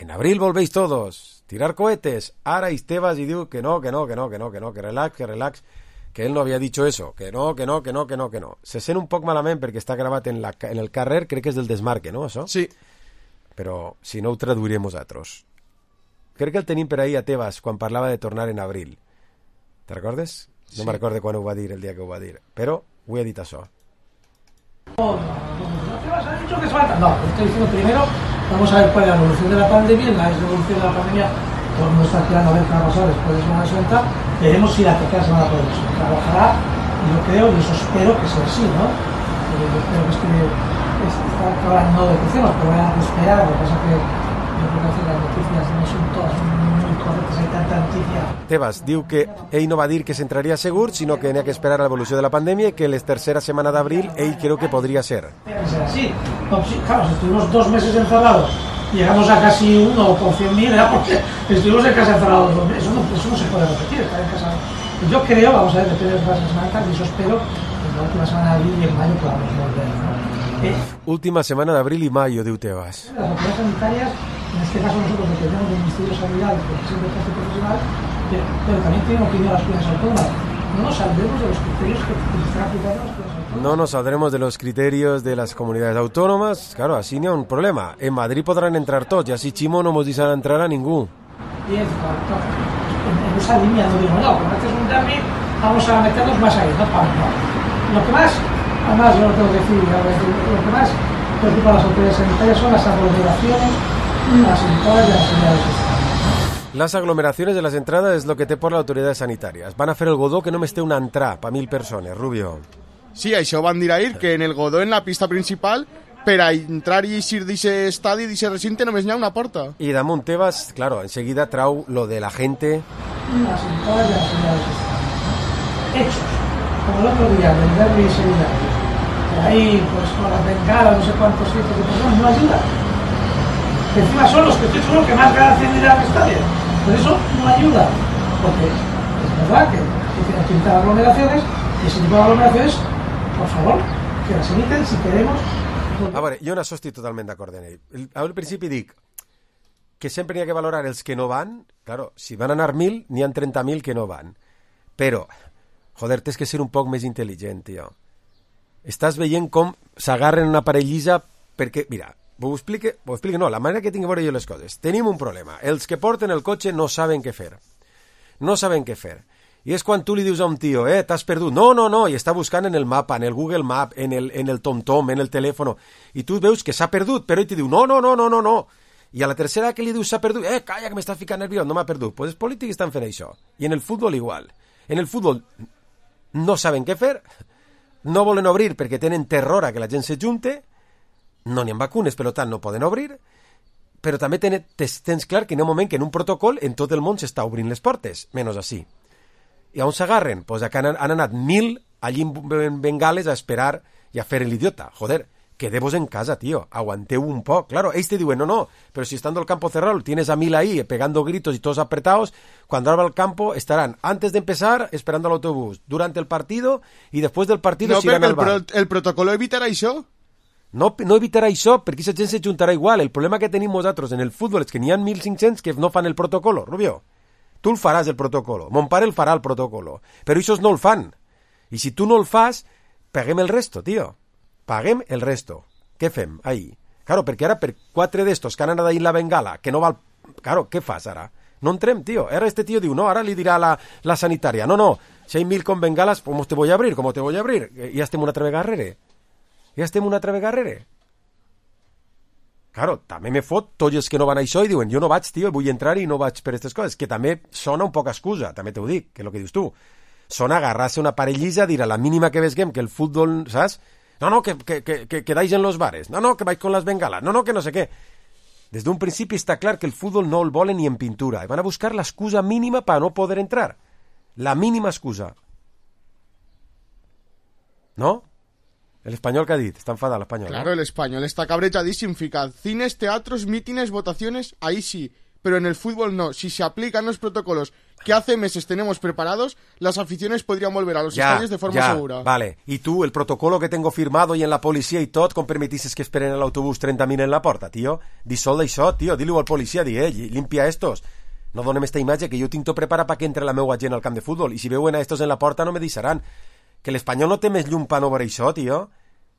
En abril volvéis todos, tirar cohetes, ara Estebas i diu que no, que no, que no, que no, que no, que relax, que relax, que él no havia dicho eso, que no, que no, que no, que no, que no. Se sent un poc malament perquè està gravat en, la, en el carrer, crec que és del Desmarque, no, això? Sí. Però si no ho traduirem nosaltres. Crec que el tenim per ahí a Tebas quan parlava de tornar en abril. Te recordes? No sí. Me recordo quan ho va dir, el dia que ho va dir. Però ho he dit això. No, no, Tebas ha dicho que es falta. No, lo estoy diciendo primero, vamos a ver cuál es la evolución de la pandemia. En la evolución de la pandemia, todo el mundo está esperando a ver qué va a pasar después de Semana Santa. Veremos si las terceras se van a poder soltar. Ojalá, y yo creo, y eso espero que sea así, ¿no? Yo espero que este, está ahora no de cruceros, pero vayan a esperar. Lo que pasa es que yo creo que las noticias no son todas muy correctas, hay tanta noticia. Tebas diu que ell no va dir que s'entraria segur, sinó que n'hi ha que esperar a l'evolució de la pandèmia i que les tercera setmana d'abril ell creu que podria ser. Tiene que ser así. No, sí, claro, si estuvimos dos meses encerrados, llegamos a casi uno por cien mil, era porque estuvimos en casa encerrados dos meses. Eso no, eso no se puede repetir, estar en casa. Yo creo, vamos a ver, depende de las semanas, y eso espero que en la última semana de abril y en mayo podamos volver, ¿no? Eh, Última semana d'abril i mayo, diu Tebas. Las autoridades sanitarias, en este caso nosotros dependemos del Ministerio de Sanidad, porque siempre es profesional, pero, pero también tenemos que ir a las comunidades autónomas. No nos saldremos de los criterios que están aplicando las comunidades autónomas. No nos saldremos de los criterios de las comunidades autónomas. Claro, así no hay un problema. En Madrid podrán entrar todos, y así Chimo no nos dicen entrar a ningún. Y es, en, en esa línea no digo, no, como este es un derby, vamos a meternos más ahí, no, no. Lo que más, además yo lo tengo que decir, lo que más preocupa a las autoridades sanitarias son las aglomeraciones, las entradas y las señales. Las aglomeraciones de las entradas es lo que té por las autoridades sanitarias. Van a fer el godó que només té una entrada pa mil persones, Rubio. Sí, això van dir ahir, que en el godó, en la pista principal, per a entrar i eixir d'aquest estadi, d'aquest recinte, només n'hi ha una porta. I damunt Tebas, claro, enseguida trau lo de la gente... Las entradas y las señales. Hechos. Como el otro día, del derbi y Sevilla. Ahí, pues con las bengalas, no sé cuántos cientos de personas, no ayuda. Que encima son los que estoy seguro que más ganas tienen de ir al estadio. Pero eso no ayuda. Porque es verdad que hay que evitar aglomeraciones, y ese tipo de aglomeraciones, por favor, que las eviten si queremos. A veure, jo en això estic totalment d'acord amb ell. Al principi dic que sempre n'hi ha que valorar els que no van. Claro, si van anar mil, n'hi ha trenta mil que no van. Però, joder, tens que ser un poc més intel·ligent, tio. Estàs veient com s'agarren una parellissa perquè, mira, ho explique, ho explique, no, la manera que tinc a veure jo les coses. Tenim un problema. Els que porten el cotxe no saben què fer. No saben què fer. I és quan tu li dius a un tio, eh, t'has perdut. No, no, no, i està buscant en el mapa, en el Google Map, en el, en el TomTom, en el telèfon, i tu veus que s'ha perdut, però ell te diu, no, no, no, no, no, no. I a la tercera que li dius s'ha perdut, eh, calla, que m'estàs ficant nerviós, no m'ha perdut. Doncs pues els polítics estan fent això. I en el futbol igual. En el futbol no saben què fer, no volen obrir perquè tenen terror a que la gent se junte, no n'hi ha vacunes, per tant no poden obrir, però també ten, tens clar que hi ha un moment que en un protocol en tot el món s'està obrint les portes, menys així. I on s'agarren? Pues acá han, han anat mil allí en bengales a esperar i a fer l'idiota. Joder, quedemos en casa, tío, aguanteu un poc. Claro, ells te diuen, no, no, pero si estando el campo cerrado tienes a mil ahí pegando gritos y todos apretados, cuando abra el campo estarán antes de empezar esperando al autobús, durante el partido y después del partido no, se irán al bar. El, pro, el protocolo evitarà això? No, no evitarà això, perquè aquesta gent se juntarà igual. El problema que tenim nosaltres en el futbol és que n'hi ha mil cinc-cents que no fan el protocolo, Rubio. Tu el faràs, el protocolo. Mon pare el farà, el protocolo. Però ells no el fan. I si tu no el fas, paguem el resto, tio. Paguem el resto. Què fem? Ahí. Claro, perquè ara per quatre d'estos que han anat ahí en la bengala, que no val... Claro, què fas ara? No entrem, tio. Ara este tio diu, no, ara li dirà la, la sanitària. No, no, si hay mil con bengalas, ¿cómo te voy a abrir? ¿Cómo te voy a abrir? Ja estem una altra vegada darrere. Ja estem una altra vegada darrere. Claro, també me fot tots els que no van a això i diuen, jo no vaig, tio, vull entrar i no vaig per aquestes coses, que també sona un poc excusa, també t'ho dic, que és el que dius tu. Sona agarrar-se una parellissa, dir a la mínima que vesguem que el futbol, saps? No, no, que, que, que, que quedáis en los bares, no, no, que vais con las bengalas, no, no, que no sé què. Des d'un principi està clar que el futbol no el volen ni en pintura. I van a buscar l'excusa mínima per no poder entrar. La mínima excusa. ¿No? El español que ha dit, está enfadado el español. Claro, ¿no? el español está cabreadísimo. Fica cines, teatros, mítines, votaciones, ahí sí. Pero en el fútbol no. Si se aplican los protocolos que hace meses tenemos preparados, las aficiones podrían volver a los ya, estadios de forma ya, segura. Vale, y tú, el protocolo que tengo firmado y en la policía y tot, com permetisses que esperen el autobús trenta mil en la porta, tío? Di sol d'això, tío, di-li-ho al policia, di, eh, limpia estos. No donem esta imatge que jo tinc tot preparat perquè entre la meua gent al camp de futbol, i si veuen a estos en la porta no me deixaran. Que l'Espanyol no té més llum pa no veure això, tio.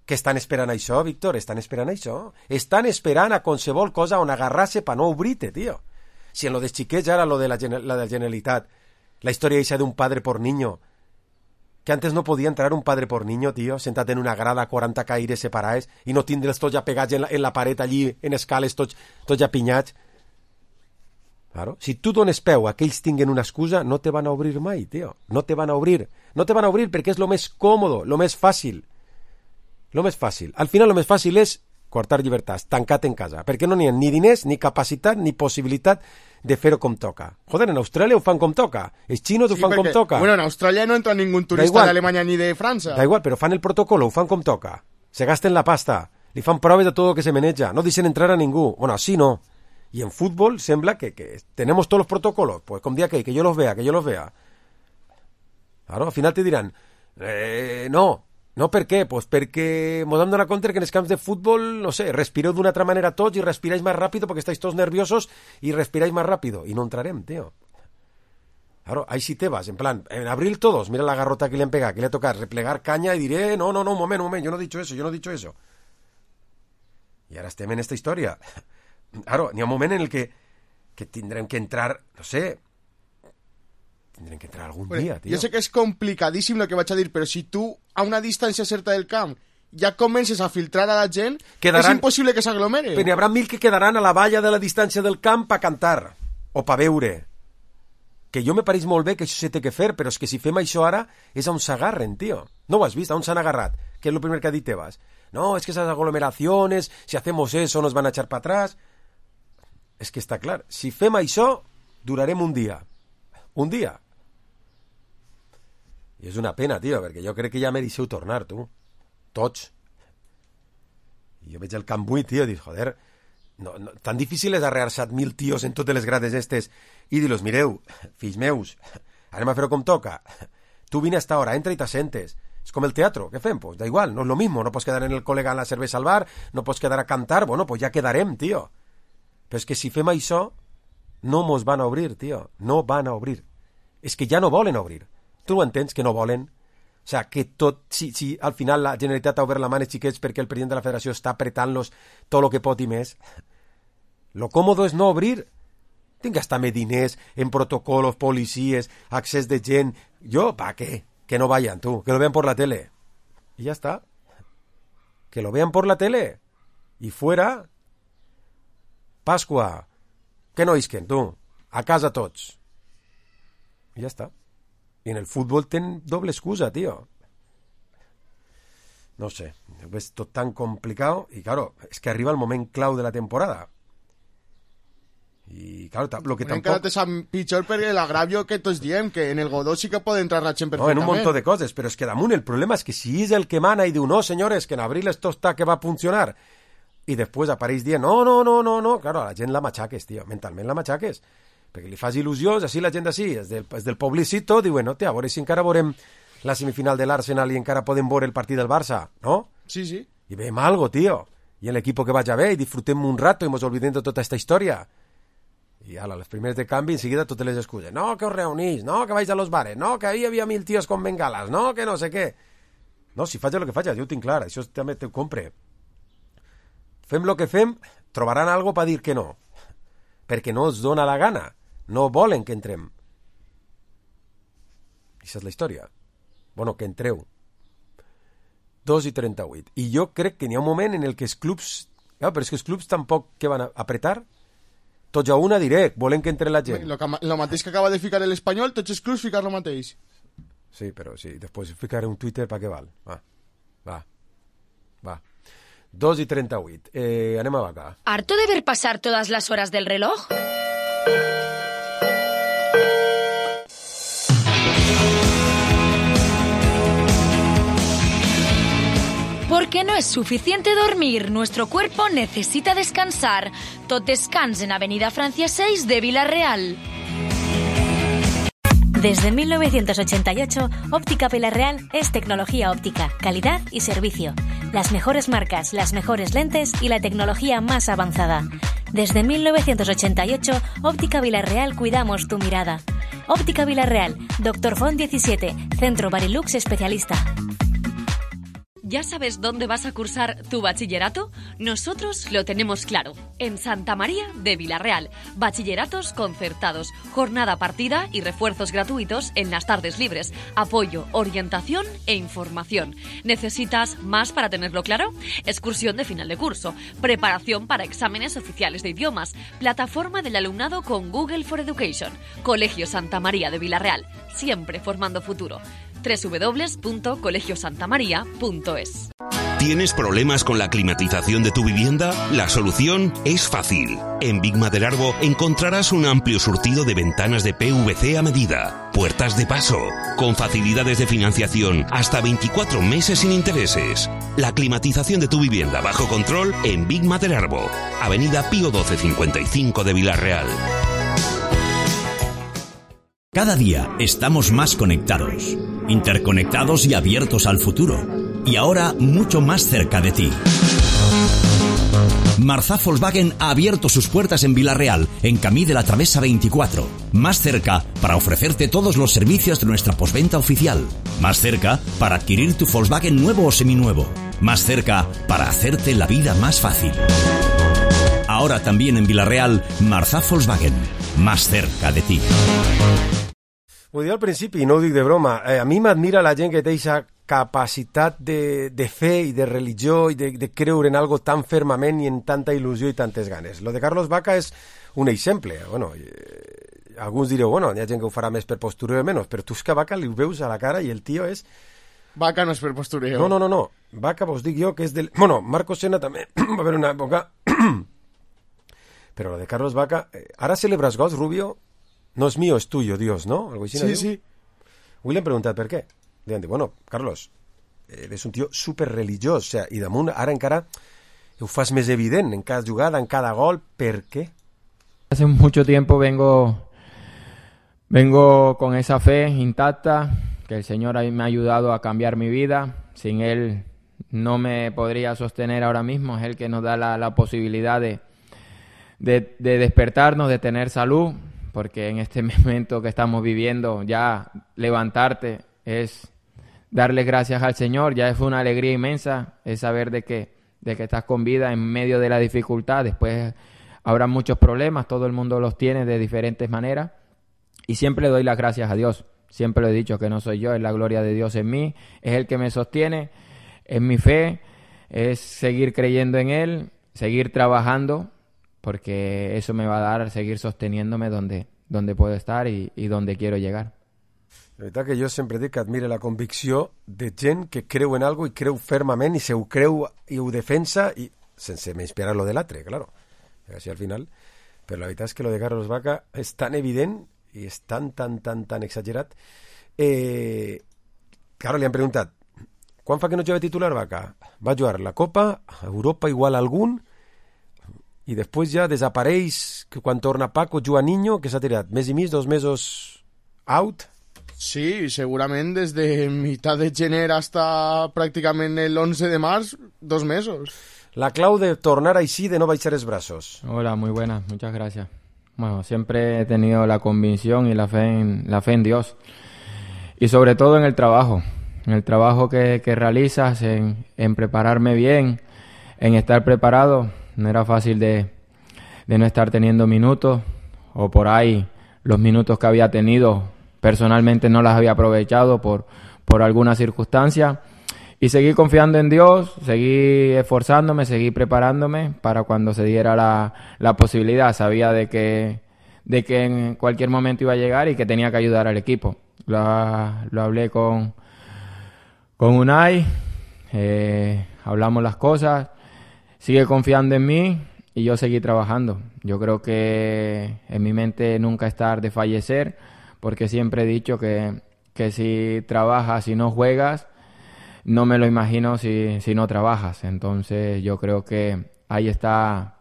Que estan esperant això, Víctor, estan esperant això. Estan esperant a qualsevol cosa on agarrar-se pa no obrir-te, tio. Si en lo de xiquets ara, lo de la, la de la Generalitat, la història eixa d'un padre por niño, que antes no podia entrar un padre por niño, tio, sentat en una grada, quaranta caires separats, i no tindre'ls tots ja pegats en la, en la paret allí, en escales, tots, tots ja pinyats. Claro. Si tu dones peu a que ells tinguen una excusa, no te van a obrir mai, tio. No te van a obrir. No te van a obrir perquè és lo més còmodo, lo més fàcil. Lo més fàcil. Al final lo més fàcil és cortar llibertats, tancat en casa, perquè no n'hi ha ni diners, ni capacitat, ni possibilitat de fer-ho com toca. Joder, en Austràlia ho fan com toca. Els xinos ho Sí, fan perquè, com toca. Bueno, en Australia no entra ningún turista de Alemanya ni de França. Da igual, però fan el protocolo, ho fan com toca. Se gasten la pasta, li fan proves de tot el que se maneja, no deixen entrar a ningú. Bueno, así no. Y en fútbol sembla que, que tenemos todos los protocolos, pues com dia que, que yo los vea, que yo los vea. Claro, al final te dirán, eh, no, no per què? Pues perquè mos hem donat compte que en els camps de futbol, no sé, respireu d'una altra manera tots i respiráis más rápido porque estáis todos nerviosos y respiráis más rápido. Y no entrarem, tío. Claro, ahí sí te vas, en plan, en abril todos, mira la garrota que le han pegado, que le ha tocado replegar caña y diré, no, no, no, un moment, un moment, yo no he dicho eso, yo no he dicho eso. Y ahora estem en esta historia. Claro, n'hi ha un moment en el que, que tindrem que entrar, no sé, tindrem que entrar algun Bueno, dia, tio. Jo sé que és complicadíssim el que vaig a dir, però si tu, a una distància certa del camp, ja comences a filtrar a la gent, Quedaran... és impossible que s'aglomere. Però n'hi haurà mil que quedaran a la valla de la distància del camp a cantar, o pa veure. Que jo me pareix molt bé que això se té que fer, però és que si fem això ara és on s'agarren, tio. No ho has vist? On s'han agarrat? Que és el primer que ha dit Tebas. No, es que esas aglomeraciones, si hacemos eso nos van a echar para atrás. És que està clar, si fem això, durarem un dia. Un dia. I és una pena, tio, perquè jo crec que ja me deixeu tornar, tu. Tots. I jo veig el camp buit, tio, i dic, joder, no, no, tan difícil és arrear set mil tios en totes les grades estes i dir-los, mireu, fills meus, anem a fer-ho com toca. Tu vine a esta hora, entra i t'assentes. És com el teatro, què fem? Pues da igual, no és lo mismo, no pots quedar en el col·lega en la cervesa al bar, no pots quedar a cantar, bueno, pues ja quedarem, tio. Però és que si fem això, no mos van a obrir, tio. No van a obrir. És que ja no volen obrir. Tu ho entens, que no volen? O sea, que tot... Si, si al final la Generalitat ha obert la mà als xiquets perquè el president de la federació està apretant-los tot el que pot i més, lo còmodo és no obrir. Tinc que gastar-me diners en protocolos, policies, accés de gent... Jo, ¿pa qué? Que no vayan, tú. Que lo vean por la tele. Y ya está. Que lo vean por la tele. Y fuera... Pasqua, que no isquen, tu, a casa tots. I ja està. I en el futbol ten doble excusa, tio. No sé, és tot tan complicat i, claro, és que arriba el moment clau de la temporada. I, claro, lo que tampoc... tampoc... És pitjor per l'agravio que tots diem, que en el Godó sí que pot entrar la gent No, perfectament. en un montó de coses, però és que damunt el problema és que si és el que mana i diu, no, senyores, que en abril esto está que va a funcionar, i després apareix dient, no, no, no, no, no, claro, a la gent la machaques, tio, mentalment la machaques, perquè li fas il·lusions, així la gent així, és del, és del poblicito, diuen, no, tia, a veure si encara veurem la semifinal de l'Arsenal i encara podem veure el partit del Barça, no? Sí, sí. I veiem algo, tio, i en l'equip que vaya bé, i disfrutem un rato i mos olvidem de tota esta història. I ala, les primeres de canvi, enseguida totes les excuses, no, que os reunís, no, que vais a los bares, no, que ahí havia mil tios con bengalas, no, que no sé què. No, si faig el que faig, jo ho tinc clar, això també t'ho compre. Fem lo que fem, trobaran algo per dir que no. Perquè no els dona la gana. No volen que entrem. Aquesta és la història. Bueno, que entreu. dos i trenta-vuit. I jo crec que n'hi ha un moment en el que els clubs... Ah, però és que els clubs tampoc que van a apretar. Tots a una direct, volen que entre la gent. Lo, que, lo mateix que acaba de ficar l'Espanyol, tots els clubs ficar lo mateix. Sí, però sí, després ficaré un Twitter, ¿para qué val? Va, va, va. dos i trenta-vuit. Eh, anem a vaca. ¿Harto de ver pasar todas las horas del reloj? Porque no es suficiente dormir, nuestro cuerpo necesita descansar. Tot descans en Avenida Francia seis de Villarreal. Desde mil novecientos ochenta y ocho, Óptica Villarreal es tecnología óptica, calidad y servicio. Las mejores marcas, las mejores lentes y la tecnología más avanzada. Desde mil novecientos ochenta y ocho, Óptica Villarreal cuidamos tu mirada. Óptica Villarreal, Doctor Font diecisiete, Centro Barilux Especialista. ¿Ya sabes dónde vas a cursar tu bachillerato? Nosotros lo tenemos claro. En Santa María de Villarreal. Bachilleratos concertados, jornada partida y refuerzos gratuitos en las tardes libres. Apoyo, orientación e información. ¿Necesitas más para tenerlo claro? Excursión de final de curso. Preparación para exámenes oficiales de idiomas. Plataforma del alumnado con Google for Education. Colegio Santa María de Villarreal. Siempre formando futuro. doble u doble u doble u punto colegio santa maría punto es. ¿Tienes problemas con la climatización de tu vivienda? La solución es fácil. En Big Maderarbo encontrarás un amplio surtido de ventanas de P V C a medida, puertas de paso, con facilidades de financiación hasta veinticuatro meses sin intereses. La climatización de tu vivienda bajo control en Big Maderarbo, Avenida Pío doce cincuenta y cinco de Villarreal. Cada día estamos más conectados, interconectados y abiertos al futuro. Y ahora mucho más cerca de ti. Marzá Volkswagen ha abierto sus puertas en Villarreal, en Camí de la Travesa veinticuatro. Más cerca para ofrecerte todos los servicios de nuestra postventa oficial. Más cerca para adquirir tu Volkswagen nuevo o seminuevo. Más cerca para hacerte la vida más fácil. Ahora también en Villarreal, Marzá Volkswagen. Más cerca de ti. Ho dic al principi, i no ho dic de broma, eh, a mi m'admira la gent que té aquesta capacitat de, de fe i de religió i de, de creure en algo tan fermament i en tanta il·lusió i tantes ganes. Lo de Carlos Vaca és un exemple. Bueno, eh, alguns direu, bueno, hi ha gent que ho farà més per postureo o menys, però tu és que Vaca li ho veus a la cara i el tio és... Vaca no és per postureo. No, no, no, no. Vaca vos dic jo que és del... Bueno, Marco Senna també va haver una època... però lo de Carlos Vaca... Eh, ara celebras gols, Rubio... No es mío, es tuyo, Dios, ¿no? Algo así, sí, ¿no? sí. William pregunta per què. Diuen, bueno, Carlos, eres un tío súper religiós, o sea, i damunt ara encara ho fas més evident en cada jugada, en cada gol. ¿Per qué? Hace mucho tiempo vengo, vengo con esa fe intacta, que el Señor me ha ayudado a cambiar mi vida. Sin Él no me podría sostener ahora mismo. Es Él que nos da la, la posibilidad de, de, de despertarnos, de tener salud. Porque en este momento que estamos viviendo, ya levantarte es darle gracias al Señor, ya es una alegría inmensa, es saber de que, de que estás con vida en medio de la dificultad. Después habrá muchos problemas, todo el mundo los tiene de diferentes maneras, y siempre doy las gracias a Dios. Siempre lo he dicho, que no soy yo, es la gloria de Dios en mí, es el que me sostiene, es mi fe, es seguir creyendo en Él, seguir trabajando, porque eso me va a dar seguir sosteniéndome donde, donde puedo estar y, y donde quiero llegar. La veritat que jo sempre dic que admire la convicció de gent que creu en algo i creu fermament i se ho creu i ho defensa i sense menysprear lo de l'altre, claro. Així al final. Però la veritat és que lo de Carlos Vaca és tan evident i és tan, tan, tan, tan exagerat. Eh, claro, li han preguntat, quan fa que no juga titular Vaca? Va jugar la Copa, Europa igual algun, i després ja desapareix, que quan torna Paco juga Niño, que s'ha tirat mes i mig, dos mesos out. Sí, segurament des de mitad de gener hasta pràcticament el once de març, dos mesos. La clau de tornar així, de no baixar els brazos. Hola, muy buenas, muchas gracias. Bueno, siempre he tenido la convicción y la fe en, la fe en Dios. Y sobre todo en el trabajo, en el trabajo que, que realizas, en, en prepararme bien, en estar preparado. No era fácil de, de no estar teniendo minutos, o por ahí los minutos que había tenido personalmente no las había aprovechado por, por alguna circunstancia. Y seguí confiando en Dios, seguí esforzándome, seguí preparándome para cuando se diera la, la posibilidad. Sabía de que, de que en cualquier momento iba a llegar y que tenía que ayudar al equipo. Lo, lo hablé con, con Unai, eh, hablamos las cosas. sigue confiando en mí y yo seguí trabajando. Yo creo que en mi mente nunca estar de fallecer, porque siempre he dicho que, que si trabajas y no juegas, no me lo imagino si, si no trabajas. Entonces yo creo que ahí está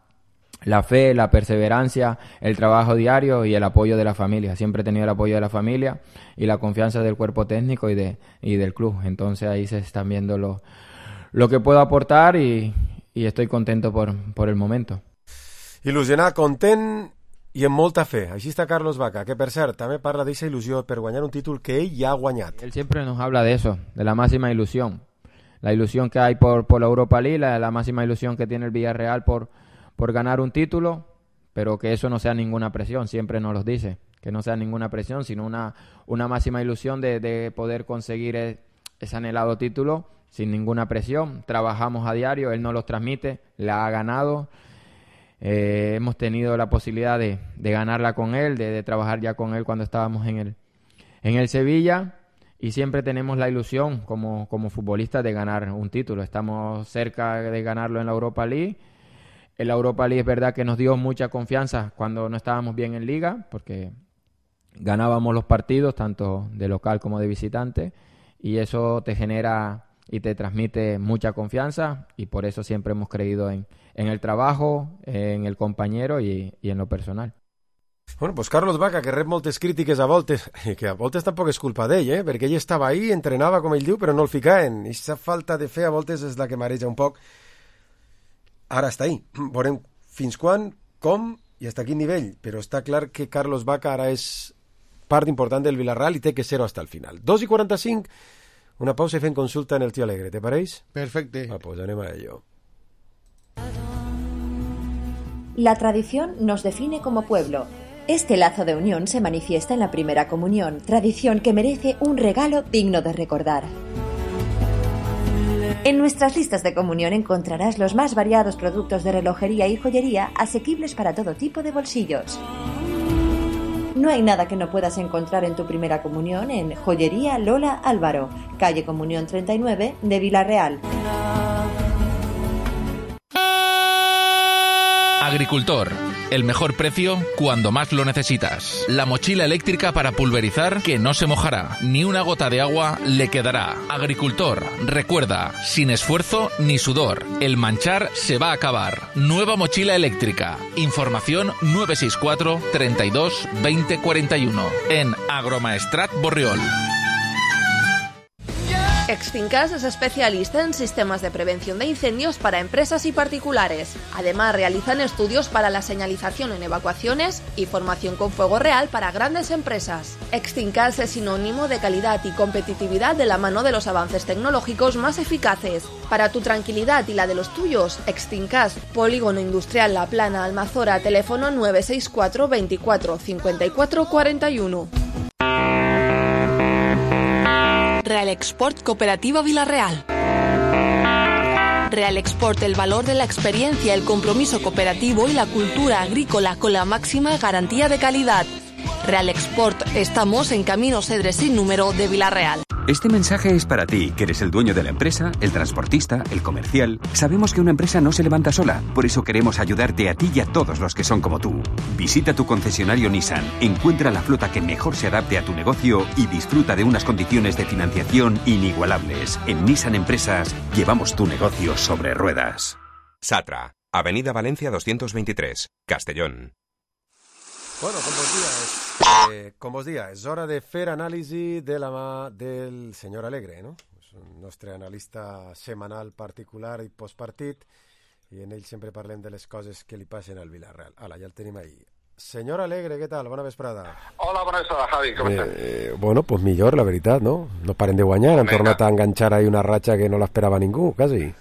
la fe, la perseverancia, el trabajo diario y el apoyo de la familia. Siempre he tenido el apoyo de la familia y la confianza del cuerpo técnico y, de, y del club. Entonces ahí se están viendo lo, lo que puedo aportar y, y estoy contento por, por el momento. Il·lusionat, content i amb molta fe. Així està Carlos Vaca, que per cert també parla d'aquesta il·lusió per guanyar un títol que ell ja ha guanyat. Él siempre nos habla de eso, de la máxima ilusión. La ilusión que hay por, por la Europa League, la, la máxima ilusión que tiene el Villarreal por, por ganar un título, pero que eso no sea ninguna presión, siempre nos lo dice, que no sea ninguna presión, sino una, una máxima ilusión de, de poder conseguir el, ese anhelado título sin ninguna presión. Trabajamos a diario, él nos los transmite, la ha ganado. Eh, hemos tenido la posibilidad de, de ganarla con él, de, de trabajar ya con él cuando estábamos en el, en el Sevilla, y siempre tenemos la ilusión como, como futbolistas de ganar un título. Estamos cerca de ganarlo en la Europa League. En la Europa League es verdad que nos dio mucha confianza cuando no estábamos bien en Liga, porque ganábamos los partidos tanto de local como de visitante, y eso te genera y te transmite mucha confianza, y por eso siempre hemos creído en, en el trabajo, en el compañero y, y en lo personal. Bueno, pues Carlos Vaca, que rep moltes crítiques a voltes, que a voltes tampoc és culpa d'ell, eh? Perquè ell estava ahí, entrenava com ell diu, però no el ficaven. I aquesta falta de fe a voltes és la que mareja un poc. Ara està ahí. Veurem fins quan, com i hasta quin nivell, però està clar que Carlos Vaca ara és part important del Villarreal i té que ser-ho hasta el final. dos i quaranta-cinc, una pausa i fem consulta en el Tío Alegre, ¿te pareix? Perfecte. Ah, pues anem a ello. La tradición nos define como pueblo. Este lazo de unión se manifiesta en la primera comunión, tradición que merece un regalo digno de recordar. En nuestras listas de comunión encontrarás los más variados productos de relojería y joyería asequibles para todo tipo de bolsillos. No hay nada que no puedas encontrar en tu primera comunión en Joyería Lola Álvaro, calle Comunión treinta y nueve de Villarreal. Agricultor, el mejor precio cuando más lo necesitas. La mochila eléctrica para pulverizar que no se mojará, ni una gota de agua le quedará. Agricultor, recuerda, sin esfuerzo ni sudor, el manchar se va a acabar. Nueva mochila eléctrica. Información nueve seis cuatro, treinta y dos, veinte cuarenta y uno en Agromaestrat Borriol. Extincas es especialista en sistemas de prevención de incendios para empresas y particulares. Además, realizan estudios para la señalización en evacuaciones y formación con fuego real para grandes empresas. Extincas es sinónimo de calidad y competitividad de la mano de los avances tecnológicos más eficaces. Para tu tranquilidad y la de los tuyos, Extincas, Polígono Industrial La Plana, Almazora, teléfono nueve seis cuatro, veinticuatro, cincuenta y cuatro cuarenta y uno. Real Export Cooperativa Villarreal. Real Export, el valor de la experiencia, el compromiso cooperativo y la cultura agrícola con la máxima garantía de calidad. Real Export, estamos en Camino Cedre sin número de Villarreal. Este mensaje es para ti, que eres el dueño de la empresa, el transportista, el comercial. Sabemos que una empresa no se levanta sola, por eso queremos ayudarte a ti y a todos los que son como tú. Visita tu concesionario Nissan, encuentra la flota que mejor se adapte a tu negocio y disfruta de unas condiciones de financiación inigualables. En Nissan Empresas llevamos tu negocio sobre ruedas. Satra, Avenida Valencia doscientos veintitrés, Castellón. Bueno, com vos dia, és, eh, com vos dia, és hora de fer anàlisi de la mà del senyor Alegre, no? És un nostre analista setmanal particular i postpartit, i en ell sempre parlem de les coses que li passen al Villarreal. Ala, ja el tenim ahí. Senyor Alegre, què tal? Bona vesprada. Hola, bona vesprada, Javi, com eh, estàs? Eh, bueno, pues millor, la veritat, no? No paren de guanyar, han tornat a enganxar ahí una ratxa que no l'esperava ningú, quasi.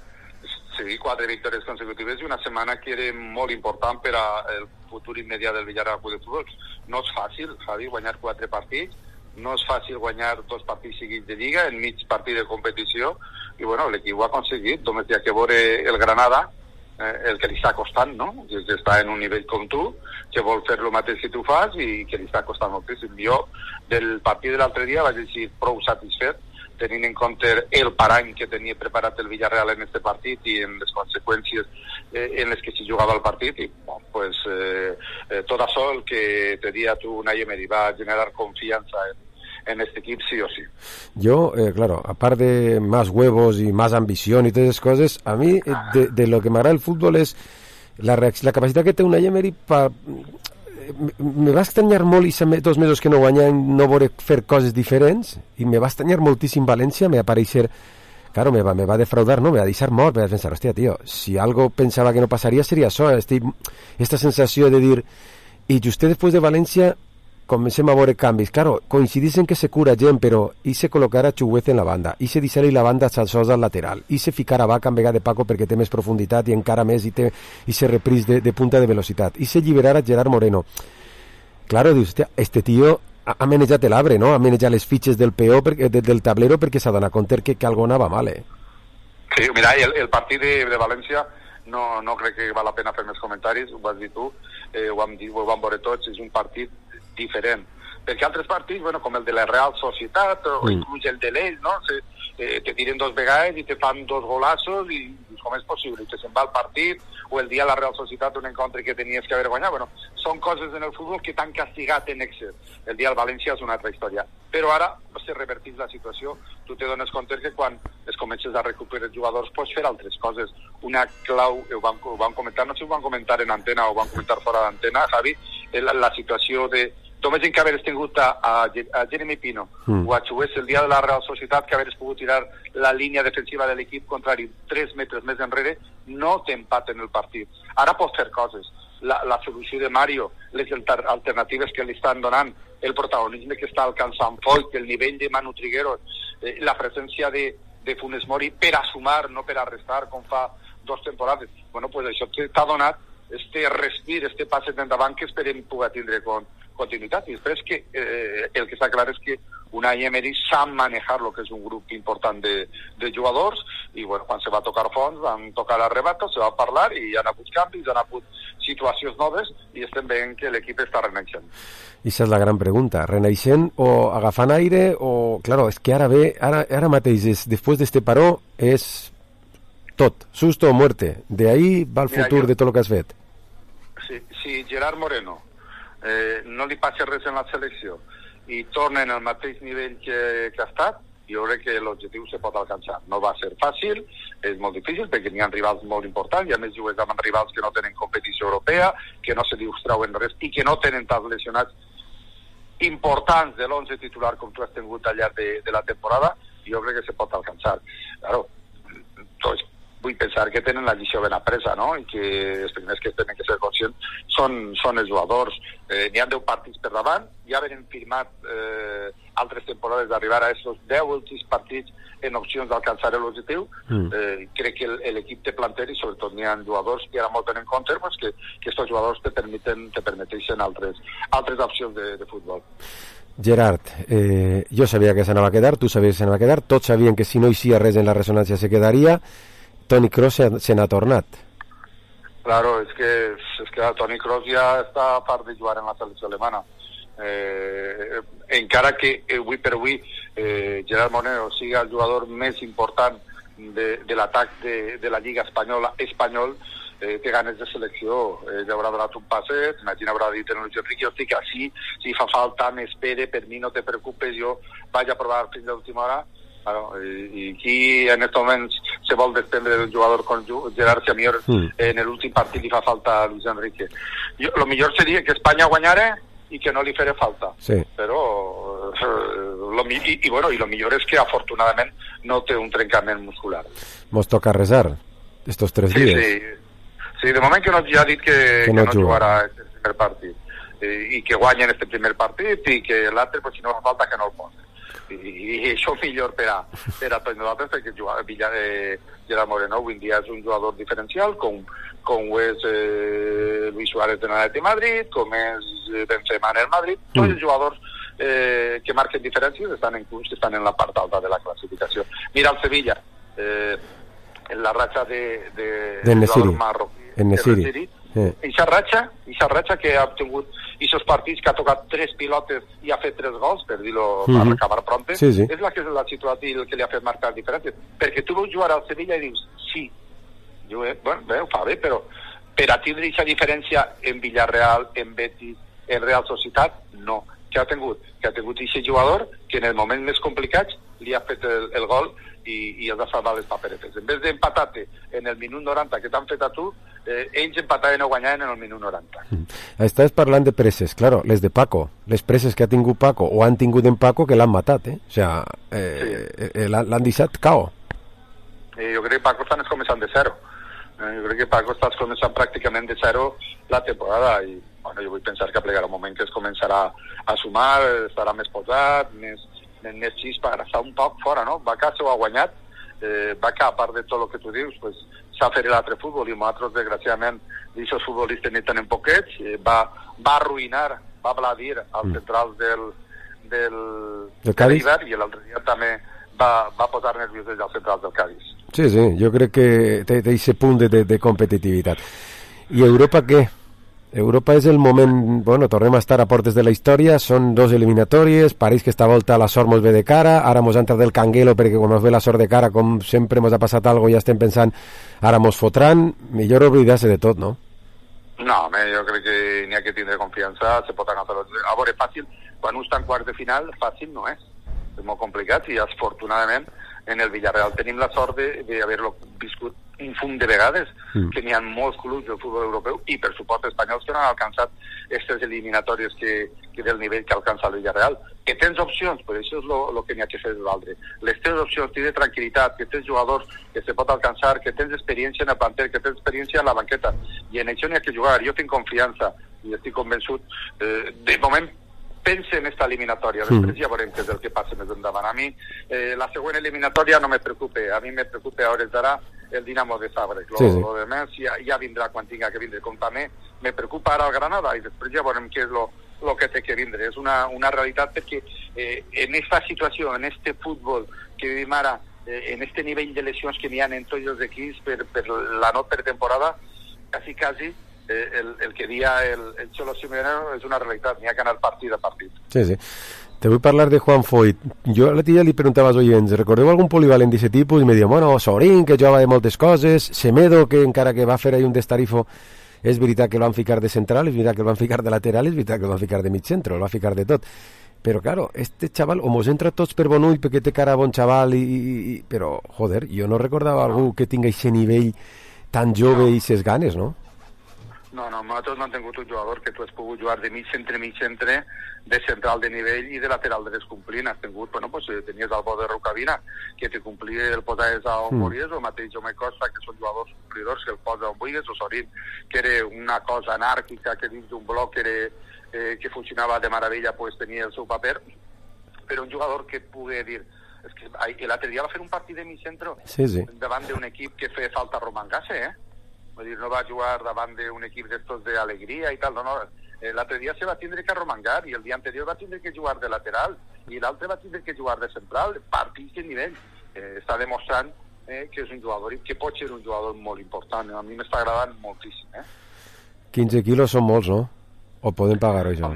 Sí, quatre victòries consecutives i una setmana que era molt important per al futur immediat del Villarreal Club de Futbol. No és fàcil, Javi, guanyar quatre partits, no és fàcil guanyar dos partits seguits de Lliga en mig partit de competició, i bueno, l'equip ho ha aconseguit. Només hi ha que veure el Granada, eh, el que li està costant, no? Que està en un nivell com tu, que vol fer el mateix que tu fas i que li està costant moltíssim. Jo, del partit de l'altre dia, vaig dir prou satisfet tenint en compte el parany que tenia preparat el Villarreal en este partit i en les conseqüències eh, en les que s'hi jugava el partit, i bon, pues, eh, eh, tot això el que te dia tu, Unai Emery, va generar confiança en, en este equip sí o sí. Yo, eh, claro, aparte de más huevos y más ambición y todas esas cosas, a mí eh, de, de lo que me agrada el fútbol es la, la capacitat que té Unai Emery pa... me va estranyar molt i dos mesos que no guanyem no veure fer coses diferents i me va estranyar moltíssim València, me va aparèixer claro, me va, me va defraudar, no, me va deixar mort, me va pensar, hostia, tío, si algo pensaba que no pasaría sería eso, este, esta sensació de dir, i just després de València comencem a veure canvis, claro, coincidissin que se cura gent, però i se col·locarà Chuguez en la banda, i se deixarà la banda Salsós al lateral, i se ficarà Vaca en vegada de Paco perquè té més profunditat i encara més i, té, i se repris de, de punta de velocitat, i se alliberarà Gerard Moreno. Claro, dius, hòstia, este tio ha, ha manejat l'arbre, no? Ha manejat les fitxes del peó, per, de, del tablero perquè s'ha donat compte que, que algo anava mal, eh? Sí, mira, el, el partit de, de València no, no crec que val la pena fer més comentaris, ho vas dir tu, eh, ho vam dir, ho vam veure tots, és un partit diferent, perquè altres partits, bueno, com el de la Real Societat o mm. inclús el de l'Ell, no? Se, eh, te tiren dos vegades i te fan dos golazos i com és possible, i te se'n va el partit, o el dia la Real Societat un encontre que tenies que haver guanyat, bueno, són coses en el futbol que t'han castigat en excés. El dia del València és una altra història, però ara se revertís la situació, tu te dones compte que quan es comences a recuperar els jugadors pots fer altres coses. Una clau, ho van, ho van comentar, no sé si ho van comentar en antena o ho van comentar fora d'antena, Javi, la, la situació de només en que haver tingut a, a, a Jeremy Pino mm. o a Chuguez el dia de la Real Societat, que haver pogut tirar la línia defensiva de l'equip contrari tres metres més enrere, no t'empaten el partit. Ara pots fer coses. La, la solució de Mario, les alternatives que li estan donant, el protagonisme que està alcançant Foyt, el nivell de Manu Trigueros, eh, la presència de, de Funes Mori per a sumar, no per a restar, com fa dos temporades. Bueno, pues això t'ha donat este respir, este passe d'endavant que esperem poder tindre con, continuïtat. I després que eh, el que està clar és que Unai Emery sap manejar lo que és un grup important de, de jugadors i bueno, quan se va tocar fons van tocar arrebatos, se va parlar i hi ha hagut canvis, hi ha hagut situacions noves i estem veient que l'equip està renaixent. I esa és la gran pregunta, renaixent o agafant aire o... Claro, és que ara ve, ara, ara mateix, és, després d'este paró, és tot, susto o muerte. De ahí va el futur Mira, jo... de tot el que has fet. Si, si Gerard Moreno eh, no li passa res en la selecció i torna en el mateix nivell que, que ha estat, jo crec que l'objectiu se pot alcançar. No va ser fàcil, és molt difícil perquè n'hi ha rivals molt importants, i a més jugues amb rivals que no tenen competició europea, que no se li treuen res i que no tenen tants lesionats importants de l'onze titular com tu has tingut al llarg de, de la temporada. Jo crec que se pot alcançar. Claro, tots vull pensar que tenen la lliçó ben apresa, no? I que els primers que tenen que ser conscients són, són els jugadors. Eh, n'hi ha deu partits per davant, ja haveren firmat eh, altres temporades d'arribar a aquests deu últims partits en opcions d'alcançar l'objectiu. Mm. Eh, crec que l'equip té planter i sobretot n'hi ha jugadors que ara molt tenen en compte pues, que, que aquests jugadors te permeten, te permeteixen altres, altres opcions de, de futbol. Gerard, eh, jo sabia que s'anava a quedar, tu sabies que s'anava a quedar, tots sabien que si no hi sia res en la ressonància se quedaria. Toni Kroos se, se n'ha tornat. Claro, és que, és que Toni Kroos ja està a part de jugar en la selecció alemana. Eh, encara que avui per avui eh, Gerard Moreno sigui el jugador més important de, de l'atac de, de la Lliga Espanyola espanyol, eh, té ganes de selecció, eh, ja haurà donat un passet, imagina haurà dit en el Luis Enrique, hosti, que així, si fa falta, m'espere, per mi no te preocupes, jo vaig a provar fins a l'última hora. Claro, y, y aquí en estos momentos se va a depender del jugador con Gerard Semior mm. en el últim partit li fa falta a Luis Enrique. Jo, lo millor seria que Espanya guanyara i que no li faré falta. Sí. Però lo, i, i, bueno, i lo millor és que afortunadament no té un trencament muscular. Mos toca rezar estos tres sí, dies. Sí, sí, de moment que no, ja ha dit que, que, que no, no jugarà este primer partit i, i que guanyen este primer partit i que l'altre, pues, si no fa falta que no el posen. I, i això millor per a, per a tots nosaltres perquè jugar, Villa, eh, Gerard Moreno avui dia és un jugador diferencial com, com ho és eh, Luis Suárez de l'Atlètic de Madrid, com és Benzema en el Madrid, mm. tots els jugadors eh, que marquen diferències estan en clubs que estan en la part alta de la classificació. Mira el Sevilla, eh, en la ratxa de, de, de Nesiri, marroquí, en Nesiri. Ixa ratxa, ixa ratxa que ha obtingut aquests partits que ha tocat tres pilotes i ha fet tres gols, per dir-lo, Mm-hmm. per acabar pronte, Sí, sí. és la que l'ha situat i el que li ha fet marcar diferències. Perquè tu veus jugar al Sevilla i dius, sí, jo, eh, bueno, bé, ho fa bé, però per a tindre aquesta diferència en Villarreal, en Betis, en Real Societat, no. Que ha tingut? Que ha tingut aquest jugador que en el moment més complicats li ha fet el, el gol i, i els ha salvat les paperetes. En vez d'empatar-te en el minut noranta que t'han fet a tu, eh, ells empataven o guanyaven en el minut noranta. Estàs parlant de preses, claro, les de Paco, les preses que ha tingut Paco o han tingut en Paco que l'han matat, eh? O sea, eh, sí. eh, l'han deixat cao. Eh, jo crec que Paco estàs començant de zero. Eh, jo crec que Paco estàs començant pràcticament de zero la temporada i bueno, jo vull pensar que plegarà un moment que es començarà a sumar, estarà més posat, més, més, més xispa, ara està un poc fora, no? Vaca s'ho ha guanyat, eh, Vaca, a part de tot el que tu dius, pues, s'ha fet l'altre futbol i nosaltres, desgraciadament, aquests futbolistes n'hi tenen poquets, eh, va, va arruïnar, va bladir als mm. centrals del, del, del Cádiz i l'altre dia també va, va posar nerviosos als centrals del Cádiz. Sí, sí, jo crec que té aquest punt de, de, de competitivitat. I Europa què? Europa és el moment, bueno, tornem a estar a portes de la història, són dos eliminatòries, París que esta volta la sort mos ve de cara, ara mos ha entrat el canguelo perquè quan mos ve la sort de cara, com sempre mos ha passat algo, ja estem pensant, ara mos fotran, millor oblidar-se de tot, no? No, home, jo crec que n'hi ha que tindre confiança, se pot agafar... A veure, fàcil, quan un està en quarts de final, fàcil no és, és molt complicat i afortunadament en el Villarreal tenim la sort d'haver-lo viscut un fum de vegades, mm. que n'hi ha molts clubs del futbol europeu i per supost espanyols que no han alcançat aquestes eliminatòries que, que del nivell que alcança el Villarreal. Que tens opcions, però això és el que n'hi ha que fer de l'altre. Les teves opcions, tens tranquil·litat, que tens jugadors que se pot alcançar, que tens experiència en el planter, que tens experiència en la banqueta, i en això n'hi ha que jugar. Jo tinc confiança i estic convençut. Eh, de moment pense en esta eliminatòria, després ja veurem què és el que passa més endavant. A mi, eh, la següent eliminatòria no me preocupa, a mi me preocupa a hores d'ara el Dinamo de Zagreb. Lo, sí, sí. lo demás ja, ja vindrà quan tinga que vindre. Com també me preocupa ara el Granada i després ja veurem què és lo, lo que té que vindre. És una, una realitat perquè eh, en esta situació, en este futbol que vivim ara, eh, en este nivell de lesions que n'hi ha en tots els equips per, per la no pretemporada, quasi, quasi, Eh, el, el que dia el, el Cholo Simeone és una realitat, n'hi ha que anar partit a partit. Sí, sí. Te vull parlar de Juan Foyt. Jo l'altre dia li preguntava als oients, recordeu algun polivalent d'aquest tipus? I me diuen, bueno, Sorín, que jugava de moltes coses, Semedo, que encara que va fer ahí un destarifo, és veritat que el van ficar de central, és veritat que el van ficar de lateral, és veritat que el van ficar de mig centro, el va ficar de tot. Però, claro, este chaval, o mos entra tots per bon ull perquè té cara bon xaval, i, i, i, però, joder, jo no recordava algú que tinga aquest nivell tan jove i ses ganes, no? No, no, nosaltres no hem tingut un jugador que tu has pogut jugar de mig centre, mig centre, de central de nivell i de lateral de descomplint. Has tingut, bueno, pues tenies el bo de Rocabina, que te complia el posaves a on mm. volies, o el mateix Jaume Costa, que són jugadors complidors, que el posa on volies, o Sorín, que era una cosa anàrquica, que dins d'un bloc era, eh, que funcionava de meravella, pues tenia el seu paper, però un jugador que et pugui dir... És que l'altre dia va fer un partit de mig centre sí, sí. davant d'un equip que feia falta Romangase, eh? Vull dir, no va jugar davant d'un equip d'estos d'alegria i tal, no, no. Eh, l'altre dia se va tindre que arromangar i el dia anterior va tindre que jugar de lateral i l'altre va tindre que jugar de central, partits de nivell. Eh, està demostrant eh, que és un jugador i que pot ser un jugador molt important. A mi m'està agradant moltíssim. Eh? quinze quilos són molts, no? O podem pagar-ho, això?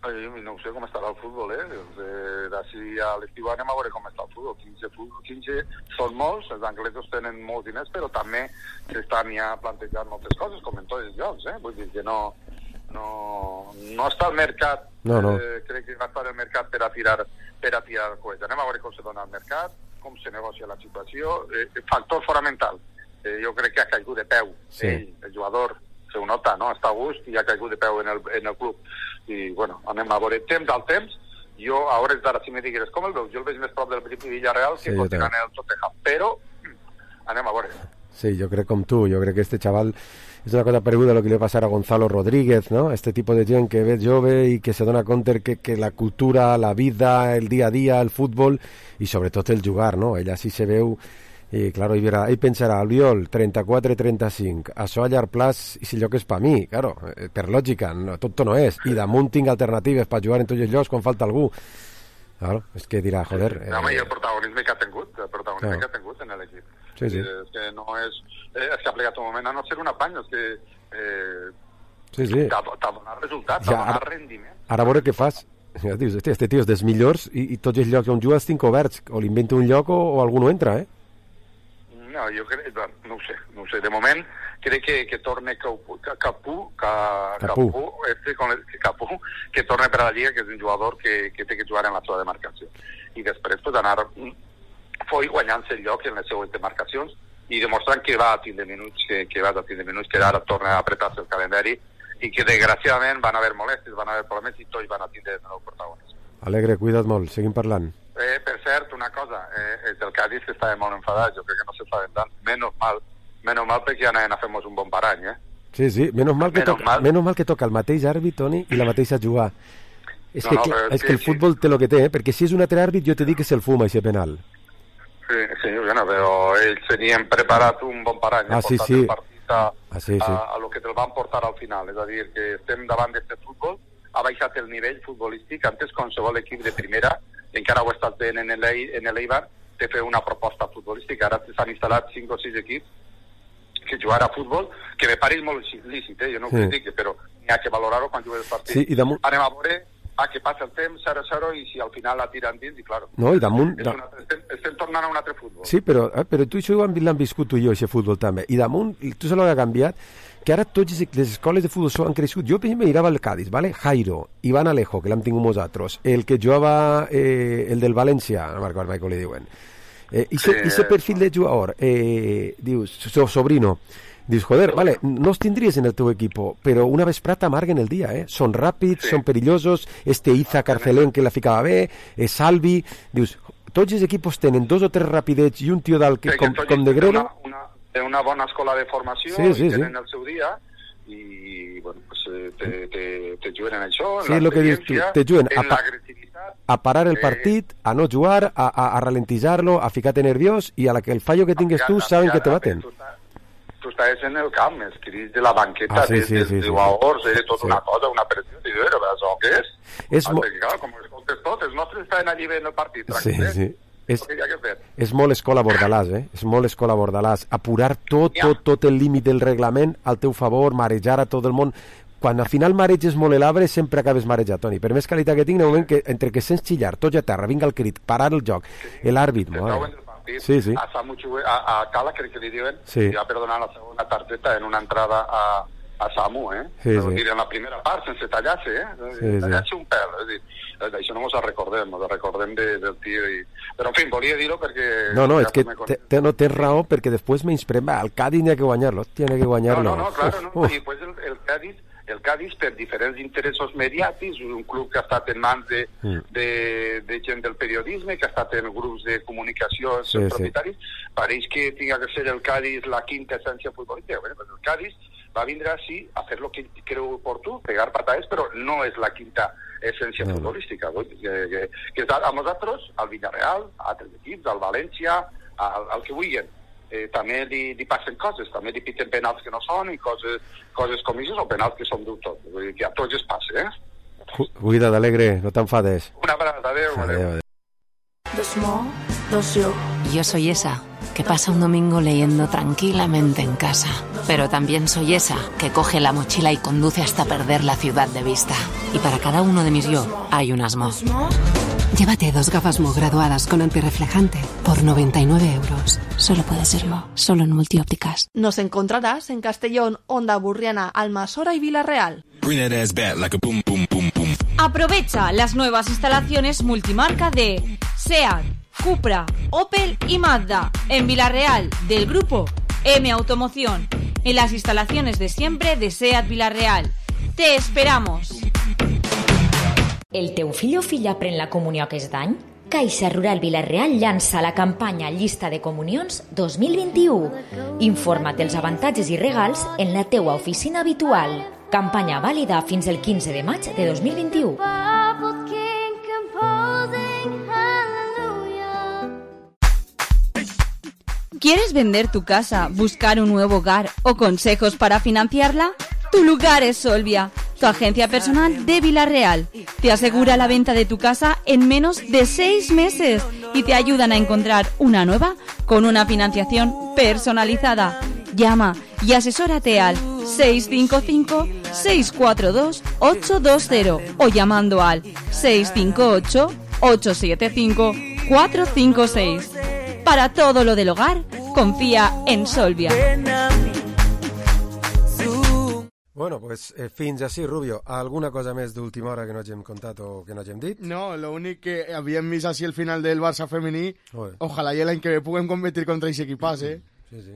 Eh, no sé com estarà el futbol, eh? eh D'ací a l'estiu anem a veure com està el futbol. quinze, quinze són molts, els anglesos tenen molts diners, però també s'estan ja plantejant moltes coses, com en tots els llocs, eh? Vull dir que no, no, no està al mercat, no, no. Eh, crec que va estar al mercat per a tirar, per a tirar coets. Anem a veure com se dona el mercat, com se negocia la situació. Eh, factor fonamental, eh, jo crec que ha caigut de peu, sí. Ell, el jugador, se ho nota, no? Està a gust i ha caigut de peu en el, en el club. I, bueno, anem a veure temps al temps. Jo, a hores d'ara, si me digueres com el veus, jo el veig més prop del Villarreal que sí, continuant en el Tottenham, però anem a veure. Sí, jo crec com tu, jo crec que este chaval és una cosa pareguda a lo que li va passar a Gonzalo Rodríguez, ¿no? Este tipo de gent que ve jove i que se dona compte que, que la cultura, la vida, el dia a dia, el futbol i sobretot el jugar, no? Ell així se veu i, claro, ell, ell pensarà, Albiol, trenta-quatre trenta-cinc, això a llarg plaç, i si lloc és per mi, claro, per lògica, no, tot no és, i damunt tinc alternatives per jugar en tots els llocs quan falta algú. Claro, és que dirà, joder... Eh... No, home, i el protagonisme que ha tingut, el protagonisme no. que ha tingut en l'equip. Sí, sí. És que no és... Eh, és que ha plegat un moment a no ser un apany, és que... Eh, sí, sí. T'ha, t'ha donat resultat, Ja, t'ha donat ara- rendiment. Ara a veure què fas. Ja dius, hosti, este tio és dels millors i, i tots els llocs on jugues tinc oberts. O li invento un lloc o, o algú no entra, eh? No, jo crec... bueno, no ho sé, no ho sé. De moment, crec que, que torne Capú, Capú, Capú, Capú, este, con el, Capú, que torne per a la Lliga, que és un jugador que, que té que jugar en la seva demarcació. I després, pues, anar foi guanyant-se el lloc en les seues demarcacions i demostrant que va a tindre minuts, que, que va a tindre minuts, que ara torna a apretar-se el calendari i que desgraciadament van haver molestes, van haver problemes i tots van a tindre de nou protagonisme. Alegre, cuida't molt, seguim parlant. Eh, per cert, una cosa, eh, és el Cádiz que estava molt enfadat, jo crec que no s'estaven tant, menys mal, menys mal perquè anaven a fer-nos un bon parany, eh? Sí, sí, menys mal que, Menys toca, mal. menys mal que toca el mateix àrbit, Toni, i la mateixa jugar. És, No, que, no, clar, però és sí, que el sí. futbol té el que té, eh? Perquè si és un altre àrbit jo te dic que se'l fuma, aquest penal. Sí, sí, bueno, però ells tenien preparat un bon parany, Ah, eh, sí, portat sí. el partit a, Ah, sí, sí. a, a lo que te'l van portar al final, és a dir, que estem davant d'aquest futbol, ha baixat el nivell futbolístic, antes qualsevol equip de primera, encara ho estàs veient en l'Ei- en l'Eibar, te fer una proposta futbolística, ara s'han instal·lat cinc o sis equips que jugar a futbol, que me pareix molt lícit, eh? Jo no ho Sí. critico, però n'hi ha que valorar-ho quan jugues el partit. Sí, i damunt- Anem a veure a què passa el temps, zero a zero, i si al final la tiren dins, i claro, No, i damunt... és Da... un altre, estem, estem tornant a un altre futbol. Sí, però, eh, però tu això ho hem- l'hem viscut tu i jo, aquest futbol també. I damunt, i tu saps el que ha canviat? Que ara totes les escoles de futbol s'ho han crescut. Jo, per exemple, mirava el Cádiz, ¿vale? Jairo, Iván Alejo, que l'hem tingut nosaltres, el que jugava, eh, el del València, no me'n recordo mai com li diuen. Eh, i Sí, ese perfil de jugador, eh, dius, so, sobrino, dius, joder, vale, no els tindries en el teu equipo, però una vesprata amarguen el dia, eh? Són ràpids, sí. Són perillosos, este Iza Carcelén que la ficava bé, eh, Salvi, dius, tots els equipos tenen dos o tres rapidets i un tio dalt que, Sí, com, tots com de tenen grelo. Una, una, té una bona escola de formació, Sí, sí, i tenen sí. el seu dia, i bueno, pues, eh, te, te, te juguen en això, en Sí, és el que dius tu, l'experiència, te juguen a, en pa l'agressivitat. a parar el eh, partit, a no jugar, a, a, a ralentitzar-lo, a ficar-te nerviós, i a la que el fallo que tingues tu saben que te baten. Tu estàs en el camp, els crits de la banqueta, Ah, sí, des sí, dels sí, sí, jugadors, eh, tota sí. una cosa, una pressió, i dius, però això què és? És Ah, mo- perquè, clar, com escoltes tot, els nostres estaven allí veient el partit, Sí, tranquil·les. sí. És, El que hi ha que fer. és molt escola Bordalàs, eh? És molt escola Bordalàs. Apurar tot, tot, tot el límit del reglament al teu favor, marejar a tot el món. Quan al final mareges molt l'arbre, sempre acabes marejat, Toni. Per més qualitat que tinc, en el moment que entre que sents xillar, tots a terra, vinga el crit, parar el joc, l'àrbit, Se mare. troben el partit. Sí, sí. A Samu Chue- a, a Cala, crec que li diuen, Sí. li va perdonar la segona targeta en una entrada a, a Samu, eh? Sí, És sí. dir, en la primera part, sense tallar-se, eh? Sí, sí. Tallar-se un pèl, és dir, eh, d'això no ens recordem, ens recordem de, del tio. I... Però, en fi, volia dir-ho perquè... No, no, ja és que me con- te, te, no tens raó, perquè després menysprem, va, el Cádiz n'hi ha que guanyar-lo, tiene que No, guanyar-lo. no, no, claro, no. Uf, I després el, el Cádiz, el Cádiz, per diferents interessos mediàtics, un club que ha estat en mans de, Mm. de, de gent del periodisme, que ha estat en grups de comunicació, els Sí, seus sí. propietaris, pareix que tinga que ser el Cádiz la quinta essència futbolística. Bueno, pues el Cádiz va vindre així a fer lo que creu oportú, pegar patades, però no és la quinta essència No, no. futbolística. Vull dir Que, que, que és a nosaltres, al Villarreal, a altres equips, al València, al, al que vulguin. Eh, també li, li passen coses, també li piten penals que no són i coses, coses com això, o penals que són dubtós. Vull dir que a tots es passa, eh? cu- Cuida't, Alegre, no t'enfades. Una abraçada, adéu, adéu. Adéu, adéu. The small, those you. Yo soy esa, que pasa un domingo leyendo tranquilamente en casa. Pero también soy esa, que coge la mochila y conduce hasta perder la ciudad de vista. Y para cada uno de mis yo, hay un asmo. Llévate dos gafas Mo graduadas con antirreflejante por noventa y nueve euros. Solo puede ser Mo, solo en multiópticas. Nos encontrarás en Castellón, Onda Burriana, Almasora y Villarreal. Aprovecha las nuevas instalaciones multimarca de SEAT, Cupra, Opel y Mazda en Villarreal del grupo M Automoción, en las instalaciones de siempre de SEAT Villarreal. ¡Te esperamos! El teu fill o filla pren la comunió aquest any? Caixa Rural Vilareal llança la campanya Llista de Comunions dos mil vint-i-u. Informa't dels avantatges i regals en la teua oficina habitual. Campanya vàlida fins el quinze de maig de dos mil vint-i-u. ¿Quieres vender tu casa, buscar un nuevo hogar o consejos para financiarla? Tu lugar es Solvia, tu agencia personal de Villarreal. Te asegura la venta de tu casa en menos de seis meses y te ayudan a encontrar una nueva con una financiación personalizada. Llama y asesórate al seis cinco cinco, seis cuatro dos, ocho dos cero o llamando al seis cinco ocho, ocho siete cinco, cuatro cinco seis. Para todo lo del hogar, confía en Solvia. Bueno, pues eh, fins així, Rubio. Alguna cosa més d'última hora que no hagin contat o que no hagin dit? No, lo únic que havíem vist així el final del Barça femení. Joder. Ojalà i l'any que ve puguem competir contra aquest equipàs, eh? Sí, sí.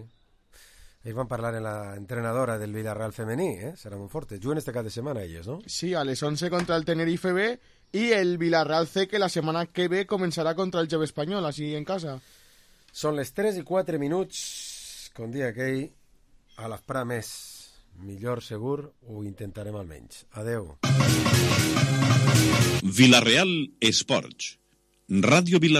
Ells van parlar en la entrenadora del Villarreal femení, eh? Serà molt forte. Juguen este cap de setmana elles, no? Sí, a les once contra el Tenerife B i el Villarreal C, que la setmana que ve començarà contra el Jove Espanyol, així en casa. Són les tres i quatre minuts, com dia aquell, a l'esperar més. Millor segur, ho intentarem almenys. Adeu. Villarreal Esports. Ràdio Villarreal.